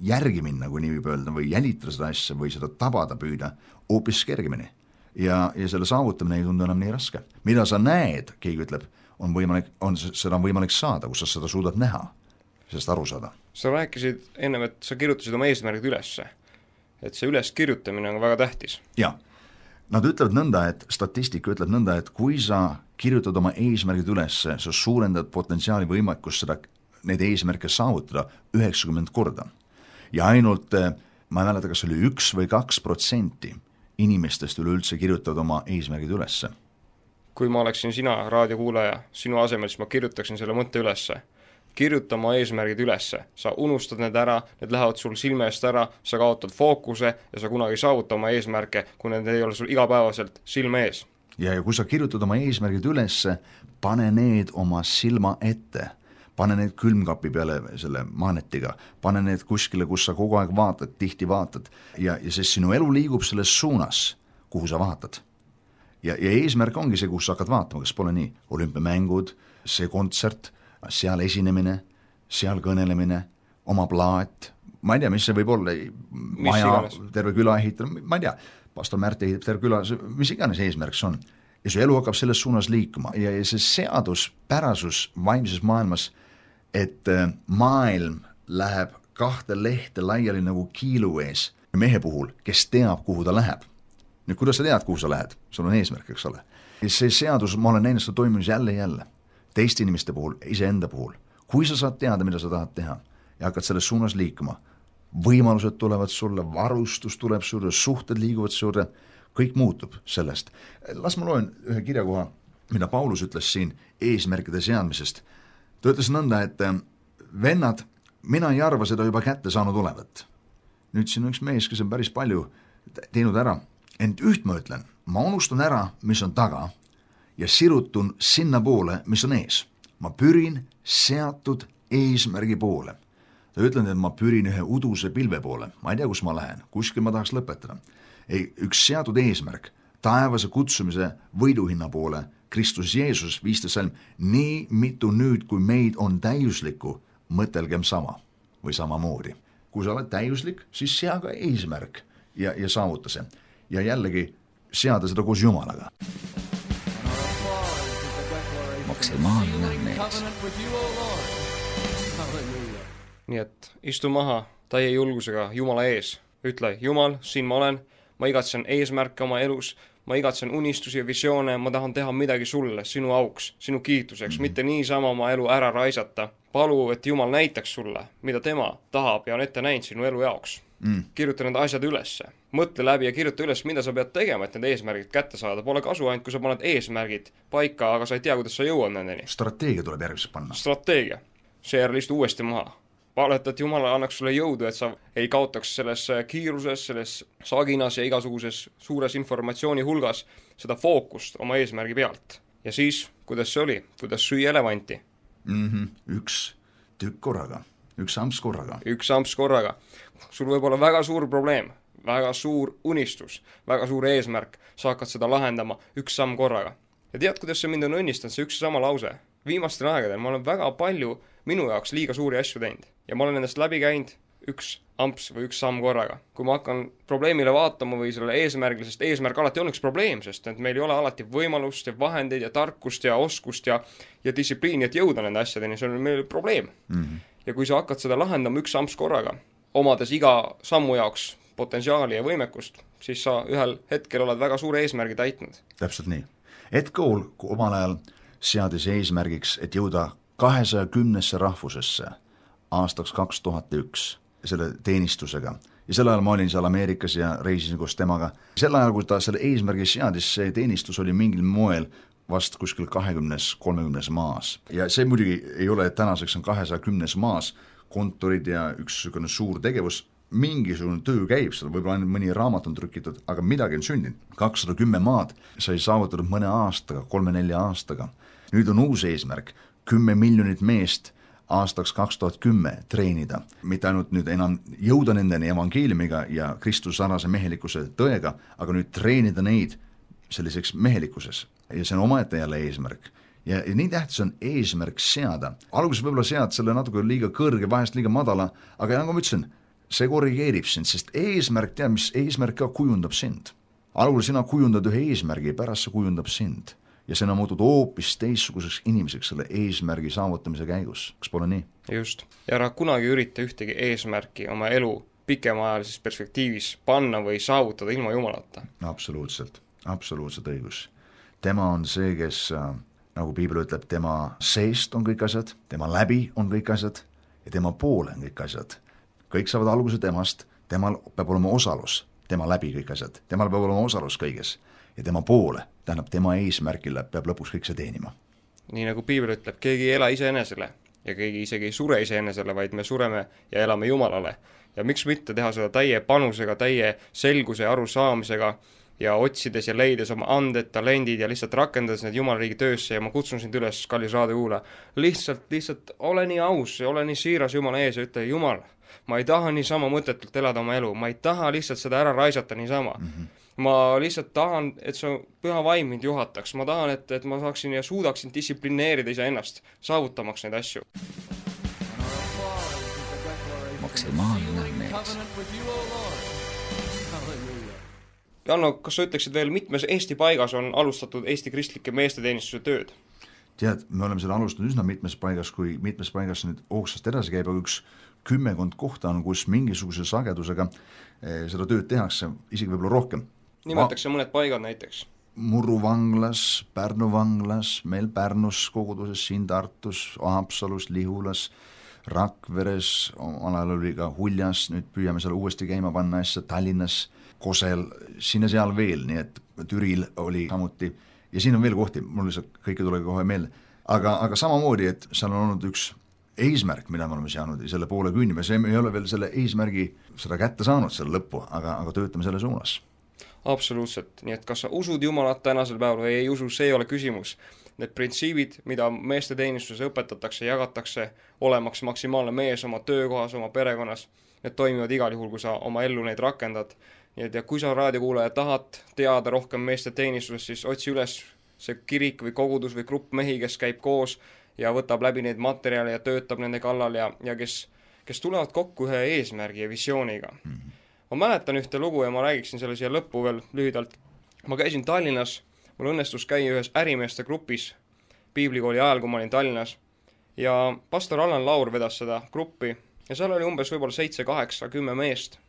järgi minna, kui nii võib öelda, või jälitada seda asja või seda tabada püüda hoopis kergemini. Ja selle saavutamine ei tundu enam nii raske. Mida sa näed, keegi ütleb, seda on võimalik saada, kus sa seda suudad näha, sellest aru saada. Sa rääkisid ennem, et sa kirjutasid oma eesmärgid ülesse. Et see üles kirjutamine on väga tähtis. Ja, nad ütlevad nõnda, et statistika ütleb nõnda, et kui sa kirjutad oma eesmärgid ülesse, sa suurendad potentsiaali võimekust seda, neid eesmärke saavutada 90 korda. Ja ainult, ma ei mäleta, kas oli 1 või 2% inimestest üleüldse kirjutavad oma eesmärgid ülesse. Kui ma oleksin sina raadiokuulaja, sinu asemel, siis ma kirjutaksin selle mõtte ülesse. Kirjuta oma eesmärgid ülesse, sa unustad need ära, need lähevad sul silme eest ära, sa kaotad fookuse ja sa kunagi saavuta oma eesmärke, kui need ei ole sul igapäevaselt silme ees. Ja kui sa kirjutad oma eesmärgid ülesse, pane need oma silma ette, pane need külmkapi peale selle magnetiga, pane need kuskile, kus sa kogu aeg vaatad, tihti vaatad ja sest sinu elu liigub selles suunas, kuhu sa vaatad. Ja eesmärk ongi see, kus sa hakkad vaatama, kas pole nii, olümpiamängud, see kontsert, seal esinemine, seal kõnelemine, oma plaat, ma ei tea, mis see võib olla, maja, terve küla ehitada, ma ei tea, pastor Märt ehitab terve küla, mis iganes eesmärks on. Ja su elu hakkab selles suunas liikuma ja see seaduspärasus vaimses maailmas, et maailm läheb 2 lehte laiali nagu kiilu ees mehe puhul, kes teab, kuhu ta läheb. Nüüd, kuidas sa tead, kuhu sa lähed? Sul on eesmärk, eks ole. Ja see seadus, ma olen näinud seda toimunud jälle. Teiste inimeste puhul, iseenda puhul. Kui sa saad teada, mida sa tahad teha ja hakkad selles suunas liikuma, võimalused tulevad sulle, varustus tuleb sulle, suhted liiguvad sulle, kõik muutub sellest. Las ma loen ühe kirjakoha, mida Paulus ütles siin eesmärkide seadmisest. Ta ütles nõnda, et vennad, mina ei arva seda juba kätte saanud olevat. Nüüd siin on üks mees, kes on päris palju teinud ära. Ent üht ma ütlen, ma unustan ära, mis on taga ja sirutun sinna poole, mis on ees. Ma pürin seatud eesmärgi poole. Ta ütlen, et ma pürin ühe uduse pilve poole. Ma ei tea, kus ma lähen. Kuskil ma tahaks lõpetada. Üks seatud eesmärk, taevase kutsumise võiduhinna poole, Kristus Jeesus 15 salm, nii mitu nüüd, kui meid on täiuslikku, mõtelgem sama või samamoodi. Kui sa oled täiuslik, siis sea ka eesmärk ja saavuta see. Ja jällegi seada seda koos Jumalaga. Maksimaalne mees. Nii et istu maha täie julgusega Jumala ees. Ütle, Jumal, siin ma olen, ma igatsen eesmärke oma elus, ma igatsen unistusi ja visioone, ma tahan teha midagi sulle, sinu auks, sinu kiituseks, mitte niisama oma elu ära raisata. Palu, et Jumal näitaks sulle, mida tema tahab ja on ette näinud sinu elu jaoks. Kirjuta need asjad ülesse. Mõtle läbi ja kirjuta üles, mida sa pead tegema, et need eesmärgid kätte saada. Pole kasu ainult, kui sa paned eesmärgid paika, aga sa ei tea, kuidas sa jõuad nendeni. Strateegia tuleb järgmiseks panna. Strateegia. Seejärel istu uuesti maha. Paleta, et Jumal annaks sulle jõudu, et sa ei kaotaks selles kiiruses, selles saginas ja igasuguses suures informatsiooni hulgas seda fookust oma eesmärgi pealt. Ja siis, kuidas see oli? Kuidas süüa elevanti? Üks tükk korraga, üks amps korraga. Üks amps korraga. Sul võib olla väga suur probleem, väga suur unistus, väga suur eesmärk. Sa hakkad seda lahendama üks samm korraga. Ja tead, kuidas see mind on õnnistanud, see üks sama lause? Viimastel aegadel ma olen väga palju minu jaoks liiga suuri asju teinud. Ja ma olen endast läbi käinud üks amps või üks samm korraga. Kui ma hakkan probleemile vaatama või selle eesmärgile, sest eesmärk alati on üks probleem, sest et meil ei ole alati võimalust ja vahendeid ja tarkust ja oskust ja distsipliini, et jõuda nende asjadeni, see on meil probleem. Ja kui sa hakkad seda lahendama üks amps korraga, omades iga sammu jaoks potentsiaali ja võimekust, siis sa ühel hetkel oled väga suure eesmärgi täitnud. Täpselt nii. Ed Cole omal ajal seadis eesmärgiks, et jõuda 210 rahvusesse aastaks 2001 selle teenistusega. Ja sel ajal ma olin seal Ameerikas ja reisisin koos temaga. Sel ajal, kui ta selle eesmärgi seadis, see teenistus oli mingil moel vast kuskil 20-30 maas. Ja see muidugi ei ole, et tänaseks on 210 maas kontorid ja üks suur tegevus, mingisugune töö käib seal, võib-olla ainult mõni raamat on trükitud, aga midagi on sündinud. 210 maad sai saavutatud mõne aastaga, 3-4 aastaga. Nüüd on uus eesmärk, 10 miljonit meest aastaks 2010 treenida. Mitte ainult nüüd enam jõuda nendeni evangeeliumiga ja Kristuse sarnase mehelikkuse tõega, aga nüüd treenida neid selliseks mehelikkuses. Ja see on omaette jälle eesmärk. Ja nii tähtis on eesmärk seada. Alguses võib-olla sead selle natuke liiga kõrge, vahest liiga madala, aga nagu ma ütlesin, see korrigeerib sind, sest eesmärk, tead, mis eesmärk ka kujundab sind. Algul sina kujundad ühe eesmärgi, pärast see kujundab sind. Ja sina muutud hoopis teistsuguseks inimeseks selle eesmärgi saavutamise käigus. Kas pole nii? Just. Ja ära kunagi ürita ühtegi eesmärki oma elu pikemaajalises perspektiivis panna või saavutada ilma Jumalata. Absoluutselt õigus. Tema on see, kes, nagu Piibel ütleb, tema seest on kõik asjad, tema läbi on kõik asjad ja tema poole on kõik asjad. Kõik saavad alguse temast, temal peab olema osalus, tema läbi kõik asjad, temal peab olema osalus kõiges ja tema poole, tähendab tema eesmärgile peab lõpuks kõik see teenima. Nii nagu Piibel ütleb, keegi ei ela iseenesele ja keegi isegi ei sure iseenesele, vaid me sureme ja elame Jumalale. Ja miks mitte teha seda täie panusega, täie selguse ja arusaamisega ja otsides ja leides oma anded, talendid ja lihtsalt rakendades need Jumalariigi töösse ja ma kutsun sind üles, kallis raadiokuulaja, lihtsalt ole nii aus ja ole nii siiras Jumala ees ja ütle, Jumal, ma ei taha niisama mõtetult elada oma elu, ma ei taha lihtsalt seda ära raisata niisama. Ma lihtsalt tahan, et see püha vaim mind juhataks, ma tahan, et ma saaksin ja suudaksin distsiplineerida iseennast, saavutamaks neid asju. Maksimaalne mees. Janno, kas sa ütleksid veel, mitmes Eesti paigas on alustatud Eesti kristlike meesteteenistuse tööd? Tead, me oleme selle alustanud üsna mitmes paigas, kui mitmes paigas nüüd hoogsast edasi käib, aga üks 10 kohta on, kus mingisuguse sagedusega seda tööd tehakse, isegi võib-olla rohkem. Nimetakse mõned paigad näiteks? Murru vanglas, Pärnu vanglas, meil Pärnus koguduses, siin Tartus, Haapsalus, Lihulas, Rakveres, alal oli ka Huljas, nüüd püüame seal uuesti käima panna asja, Tallinnas, Kosel, siin ja seal veel, nii et Türil oli samuti ja siin on veel kohti, mul lihtsalt kõike tuleb kohe meelde, aga samamoodi, et seal on olnud üks eesmärk, mida me oleme saanud ja selle poole küünime, see ei ole veel selle eesmärgi seda kätte saanud selle lõppu, aga töötame selle suunas. Absoluutselt, nii et kas sa usud Jumalat tänasel päeval või ei usu, see ei ole küsimus. Need printsiibid, mida meesteteenistuses õpetatakse, jagatakse, olemaks maksimaalne mees oma töökohas, oma perekonnas, need toimivad igal juhul, kui sa oma ellu neid rakendad. Nii et ja kui sa raadiokuulaja tahad teada rohkem meesteteenistusest, siis otsi üles see kirik või kogudus või grupp mehi, kes käib koos ja võtab läbi neid materjale ja töötab nende kallal ja kes tulevad kokku ühe eesmärgi ja visiooniga. ma mäletan ühte lugu ja ma räägiksin selle siia lõppu veel lühidalt. Ma käisin Tallinnas, mul õnnestus käia ühes ärimeeste grupis piiblikooli ajal, kui ma olin Tallinnas, ja pastor Allan Laur vedas seda gruppi ja seal oli umbes võib-olla 7, 8, 10 meest.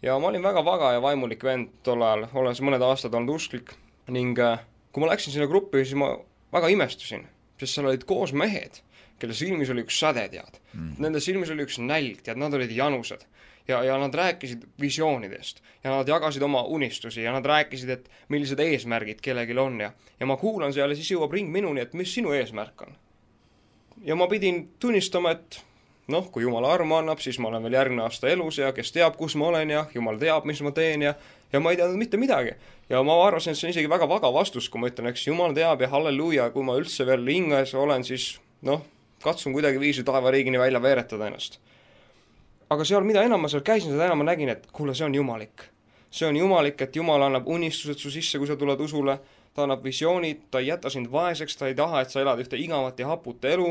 Ja ma olin väga vaga ja vaimulik vend tol ajal, olles mõned aastad olnud usklik ning kui ma läksin sinna gruppi, siis ma väga imestusin, sest seal olid koos mehed, kelle silmis oli üks säde, tead. Nende silmis oli üks nälg, tead, nad olid janused. Ja nad rääkisid visioonidest ja nad jagasid oma unistusi ja nad rääkisid, et millised eesmärgid kellegil on ja ma kuulan seal ja siis jõuab ring minuni, et mis sinu eesmärk on. Ja ma pidin tunnistama, et kui Jumala armu annab, siis ma olen veel järgmine aasta elus ja kes teab, kus ma olen ja Jumal teab, mis ma teen ja ma ei teadnud mitte midagi. Ja ma arvasin, et see on isegi väga vaga vastus, kui ma ütlen, eks Jumal teab ja halleluuja, kui ma üldse veel hinges olen, siis katsun kuidagi viisi taevariigini välja veeretada ennast. Aga seal, mida enam ma seal käisin, seda enam ma nägin, et kuule, see on jumalik. See on jumalik, et Jumal annab unistused su sisse, kui sa tuled usule, ta annab visioonid, ta ei jäta sind vaeseks, ta ei taha, et sa elad ühte igavat ja haput elu,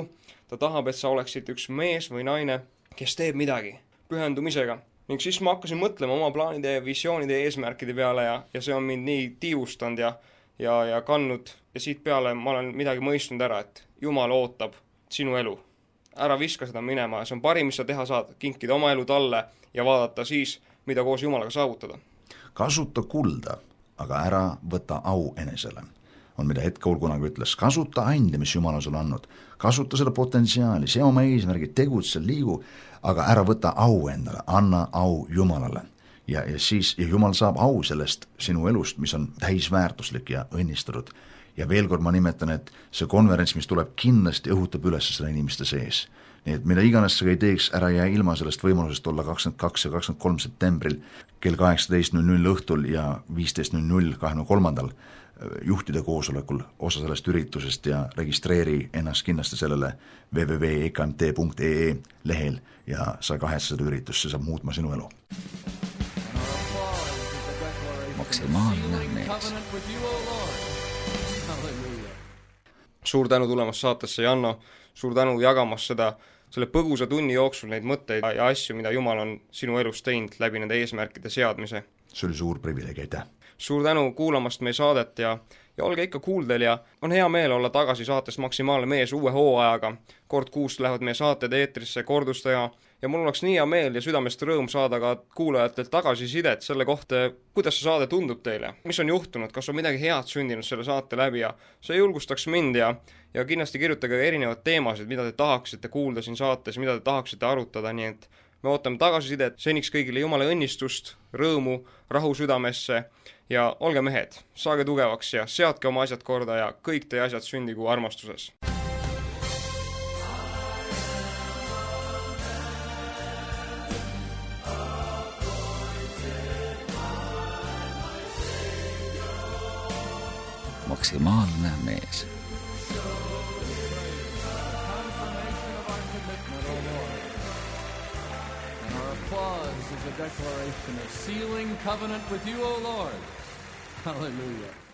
ta tahab, et sa oleksid üks mees või naine, kes teeb midagi pühendumisega. Ning siis ma hakkasin mõtlema oma plaanide ja visioonide ja eesmärkide peale ja see on mind nii tiivustanud ja kandnud ja siit peale ma olen midagi mõistnud ära, et Jumal ootab sinu elu. Ära viska seda minema ja see on parim, mis sa teha saad, kinkida oma elu talle ja vaadata siis, mida koos Jumalaga saavutada. Kasuta kulda, aga ära võta au enesele. On mida Hetkaul kunagi ütles, kasuta ande, mis Jumal on sulle andnud. Kasuta seda potentsiaali, see oma eesmärgi, tegutse, liigu, aga ära võta au endale, anna au Jumalale. Ja Jumal saab au sellest sinu elust, mis on täisväärtuslik ja õnnistatud. Ja veel kord ma nimetan, et see konverents, mis tuleb kindlasti õhutab üles selle inimeste sees. Nii et mida iganes sa ei teeks, ära jää ilma sellest võimalusest olla 22 ja 23 septembril kell 18.00 õhtul ja 15.00 23. juhtide koosolekul osa sellest üritusest ja registreeri ennast kindlasti sellele www.ekmt.ee lehel ja sa kahetse seda üritust, see saab muutma sinu elu. Maksimaalne mees. Suur tänu tulemast saatesse, Janno, suur tänu jagamas selle põgusa tunni jooksul neid mõtteid ja asju, mida Jumal on sinu elus teinud läbi nende eesmärkide seadmise. See oli suur privileeg, aitäh! Suur tänu kuulamast meie saadet ja olge ikka kuuldel ja on hea meel olla tagasi saates Maksimaalne mees uue hooajaga. Kord kuus lähevad meie saated eetrisse kordustaja ja mul oleks nii hea meel ja südamest rõõm saada ka kuulajatelt tagasisidet selle kohta, kuidas see saade tundub teile, mis on juhtunud, kas on midagi head sündinud selle saate läbi ja see julgustaks mind ja kindlasti kirjutage erinevad teemasid, mida te tahaksite kuulda siin saates, mida te tahaksite arutada, nii et me ootame tagasisidet, seniks kõigile Jumala õnnistust, rõõmu, rahu südamesse ja olge mehed, saage tugevaks ja seadke oma asjad korda ja kõik teie asjad sündigu armastuses. Maksimaalne mees. Applause is a declaration of sealing covenant with you, O Lord. Hallelujah.